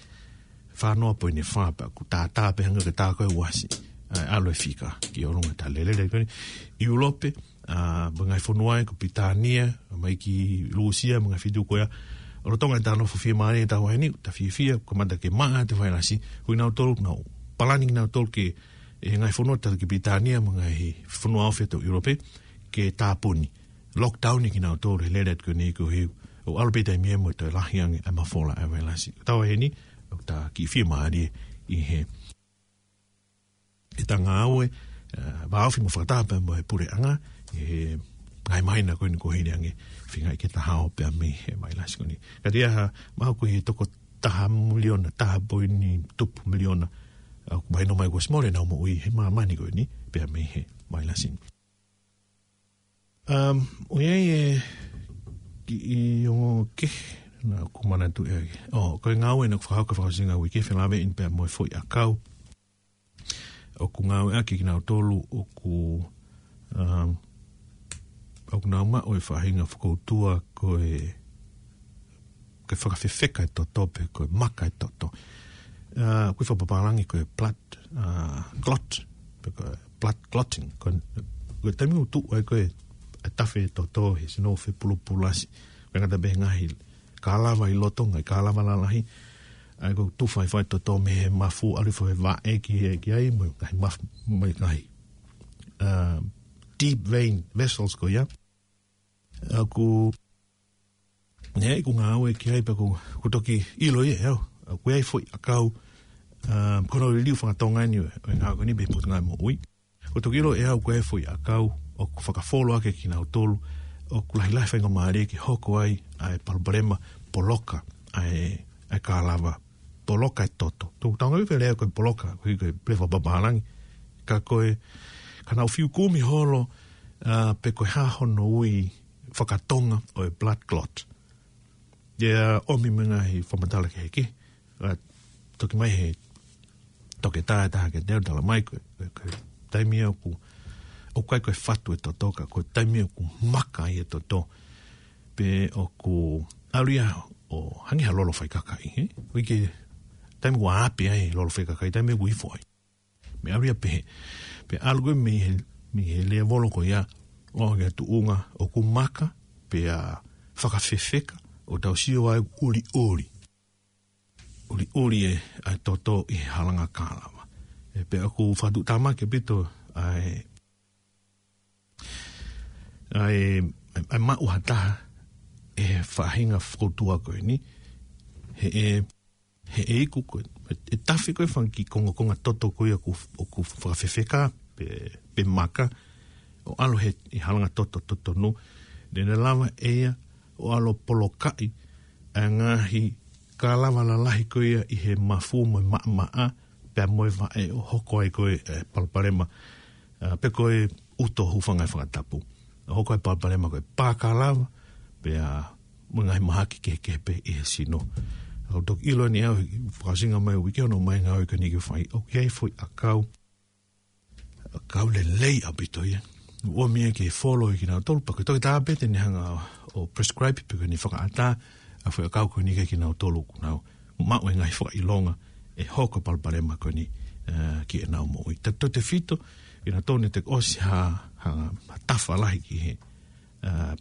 Fā noa poini fā, pea ʻoku tātā pē hangē ko e tā ko ē ʻoku ʻasi, ā, ʻalu e fika ki ʻolunga ʻetau lele ko eni. ʻIulope, ā, mo e ngaahi fonua ia ko Pilitānia, mai ki Lūsia, mo e ngaahi feituʻu ko ia. ʻOku lolotonga ʻetau nofo fiemālie ʻi he taʻu ni, ta fiefia, kamata ke maʻa atu e vailasi, ko kinautolu, nau palani kinautolu ke, ʻi he ngaahi fonua tatau ki Pilitānia, mo e ngaahi fonua ofi ʻo ʻIulope, ke tāpuni. Lockdown ʻi kinautolu he lele atu ko eni koeʻuhi, ʻoku ʻalu pē taimi ia mo e toe lahi ange ʻa e mafola ʻa e vailasi. Taʻu ni, ʻoku ta kiʻi fiemālie ʻi he ʻetau ngāue, ā, vāofi mo fakataha pea mo e puleʻanga, ʻi he ngaahi māhina ko eni kuo hili ange, feinga ke ta hao pea mei he vailasi ko eni. Ka ʻi he ʻaho, mahalo ko e toko taha miliona, taha poini tupu miliona, ā, ʻoku mahino mai kuo ʻosi mole ʻenau moʻui he māmani ko eni, pea mei he vailasi ni. Um, ʻoku ʻi ai e kiʻi ongo kehe naʻa ku manatu ʻaki. ʻŌ, ko e ngāue naʻa ku fakahoko he fakaʻosinga uike, felāveʻi pea mo e foʻi ʻakau ʻoku ngāueʻaki kinautolu ʻoku, um, ʻoku nau maʻu e faʻahinga fokoutua ko e, ko e fakafefeka e toto pe ko e maka e toto. Ā, ʻoku ui fakapapālangi ko e blood, ā, clot, pe ko e blood clotting. Ko e, ko e taimi ʻoku tuʻu ai ko ē e tafe e toto he sino fepulupulasi. Ko e ngata pē he ngaahi kālava ʻi loto, ngaahi kālava lalahi. ʻA ia ʻoku tufa hifo ai e toto mei he mafu, ʻalu hifo he vaʻe ki, ki ai, mo e ngaahi maf-, mo e ngaahi, ā, deep vein vessels ko ia. ʻOku, ne ʻi ai ʻeku ngāue ki ai pea ʻoku, ʻoku toki ʻilo ia ʻe au. ʻOku ʻi ai e foʻi ʻakau, ā, ko hono liliu fakatonga eni ʻo e, ʻo e ngāue ko eni mei he Potungāue Moʻui. ʻOku toki ʻilo ʻe au ko e foʻi ʻakau ʻoku fakafolo ʻaki kinautolu ʻoku lahilahi e faingamālie ke hoko ai ʻa e palopalema poloka ʻa e, ʻa e kālava, poloka e toto. Tuku taunga ʻi he lea ko e poloka, ko e, ko e lea fakapapālangi. Ka ko e, ka nau fiu kumi holo, ā, pe ko e hā hono ui fakatonga ʻo e blood clot. ʻIo, ʻomi mo e ngaahi fakamatala kehekehe. Ā, toki ʻomai he toketā ʻe taha kiate au, talamai ko e, ko e, ko e taimi ʻoku, ʻoku ʻikai ko e fatu e toto ka, ko e taimi ʻoku maka ai e toto. Pe ʻoku ʻalu ia ʻo hangē ha lolo faikakaʻi, ē? ʻOku ʻi ai e taimi ʻoku ʻapi ai e lolo faikakaʻi, taimi ʻoku ifo ai. Meʻa ʻalu ia pehē. Pea ʻalu ko ē mei he, mei he lēvolo ko ia, ʻo aʻu ki he tuʻunga ʻoku maka, pea fakafefeka, ʻo tau sio ai ʻuliʻuli. ʻUliʻuli e, ʻa e toto ʻi he halanga kālava. Ē, pea ʻoku fakatuʻutāmaki ʻaupito ʻa e, ʻa e, ʻa e maʻu ha taha ʻe he faʻahinga fokoutua ko eni, he ʻe, he ʻe iku ko ē, ʻe tafe ko ē e fanga kiʻi kongokonga toto ko ia ʻoku, ʻoku fakafefeka pe, pe maka, ʻo ʻalu he, ʻi he halanga toto totonu, ne ne lava ʻe ia ʻo ʻalu ʻo polokaʻi ʻa e ngaahi kālava lalahi ko ia ʻi he mafu mo e maʻamaʻa, pea mo e vaʻe ʻo hoko ai ko ē e palopalema, ā, pe ko e uto, hūfanga he fakatapu. ʻO hoko ai e palopalema ko e pā kālava, pea mo e ngaahi mahaki kehekehe pē ʻi he sino. ʻOku toki ʻilo eni ʻe au he fakaʻosinga mai e uike hono ʻomai e ngāue ko eni ke fai. ʻOku ʻi ai e foʻi ʻakau, ʻakau lelei ʻaupito ia. ʻOku ʻomi ia ke folo ʻe kinautolu, pea ko e toketā pē te ne hanga ʻo prescribe pe ko ʻene fakaʻatā ʻa e foʻi ʻakau ko eni kiate kinautolu ʻoku nau maʻu e ngaahi fakaʻilonga ʻe hoko e palopalema ko eni, ā, ki heʻenau moʻui. Tautautefito, ʻi he tonu te ʻosi ha, ha, ha tafa lahi ki he, ā,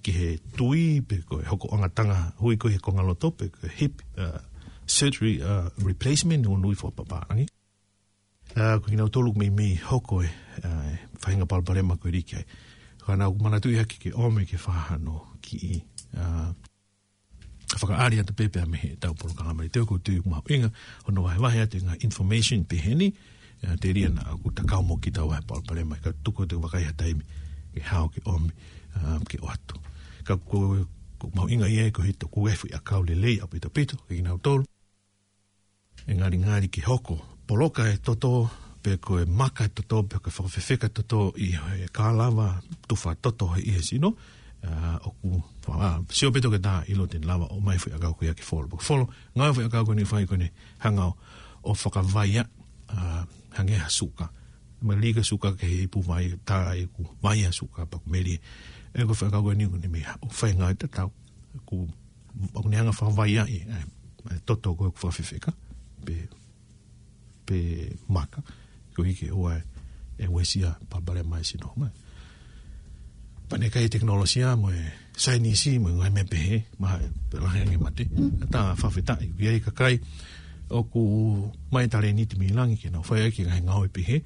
ki he tui pe ko e hoko angatanga hui ko e he konga loto pe ko e hip, ā, surgery, ā, replacement ʻo nui fakapapālangi. Ā, ko kinautolu meimei hoko e, ā, faʻahinga palopalema ko eni ki ai. Ka naʻa ku manatuʻi hake ke ʻomi ke fakahā hano kiʻi, ā, fakaʻali atu pē pea mei heʻetau polokalama. ʻI he teu ko tui mahuʻinga, hono vahevahe atu e ngaahi information pehē ni, ā, telia naʻa ku takau mo kita ʻa e palopalema, ka tuku atu e vakai ha taimi, ke hao ke ʻomi, ā, ke ʻoatu. Ka ko, ko mahuʻinga ia ko e hito ku e fuʻu ʻakau lelei ʻaupito ʻaupito, ke kinautolu. ʻE ngalingali ke hoko poloka e toto, pe ko e maka e toto, pe ko e fakafefeka toto ʻi he kā lava tufa toto he ʻi he sino, ā, ʻoku, ā, sio pē toki tā ʻilo te ne lava ʻo ʻomai e fuʻu ʻakau ko ia ke folo. Pea folo, ngāue e fuʻu ʻakau ko eni fai ko eni hanga ʻo fakavaia, ā, hangē ha suka. Mali ka suka ke he ipu vai, tā ʻeku vai ʻa suka pea ku meli. ʻE ko e fuʻu ʻakau ko eni ko eni meʻa, ʻo fai ngāue tatau. Ku, ʻoku ne hanga fakavaia ʻi, ē, ē, toto ko e fakafefeka, pe, pe maka, ko e ke ʻoua ʻe uesia palopalema e sino. Mai. Pea ne kai tekinolosia mo e saienisi mo e ngaahi meʻa pehē, maha e, pe lahi ange mate. Ka tā fakafetaʻi, ʻoku ʻi ai e kakai, ʻoku ʻomai e talēniti mei langi ke nau fai ʻaki e ngaahi ngāue pehē,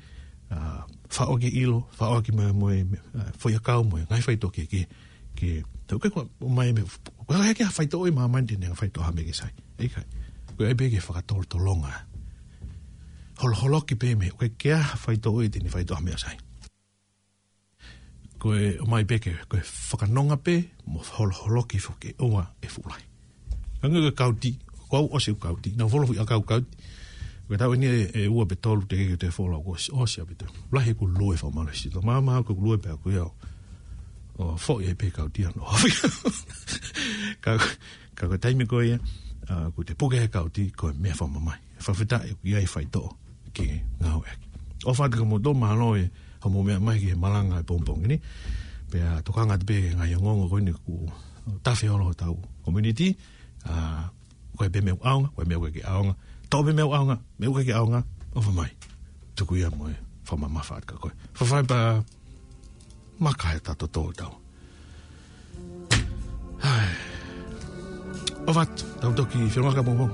ā, faʻo ki ʻilo, faʻo ki mo e, mo e, ā, fuʻu ʻakau mo e ngaahi faitoʻo kehekehe, ke, tau ke kua, ʻomai mei, ko e hā ke ha faitoʻo ʻi māmani te ne faitoʻo ha meʻa ke sai. ʻIkai. Ko e ʻai pē ke fakatolotolonga. Holoholoki pē mei, ko e ke ha faitoʻo ʻi te ne faitoʻo ha meʻa sai. Ko e ʻomai pē ke, ko e fakanonga pē, mo holoholoki foki ʻoua ʻe fuʻu lahi. Hangē ko e kauti, ko au ʻosi ʻeku kauti, naʻa ku folo e fuʻu ʻakau kauti. Ko e taʻu eni ʻe, ʻe ua pe tolu teʻeki ke toe folo au ʻosi, ʻosi ʻaupito. Lahi ʻeku lue fakamālohisito. Māmā ko ʻeku lue pē ʻaku ia ʻo, ʻo foʻi ai pē kauti ano. Ka, ka ko e taimi ko ia, ā, kuo te puke he kauti, ko e meʻa fakamamahi. Fakafetaʻi ʻoku ʻi ai e faitoʻo ke ngāueʻaki. ʻOfa atu kia moutolu, mālō e hoʻomou meʻa mai ki he malanga e pongipongi ni. Pea tokanga atu pē ki he ngaahi ongoongo ko eni kuo tafe holo hotau community. Ā, ko e pē meʻa ʻoku ʻaonga, ko e meʻa ʻoku ʻikai ke ʻaonga. Tō pē meʻa ʻoku ʻaonga, meʻa ʻoku ʻikai ke ʻaonga, ʻofa mai. Tuku ia mo e fakamamafa atu kia koe. Faifai pea maka e tato tō tau. Hai. ʻOfa atu, tau toki feʻiloaki pē mo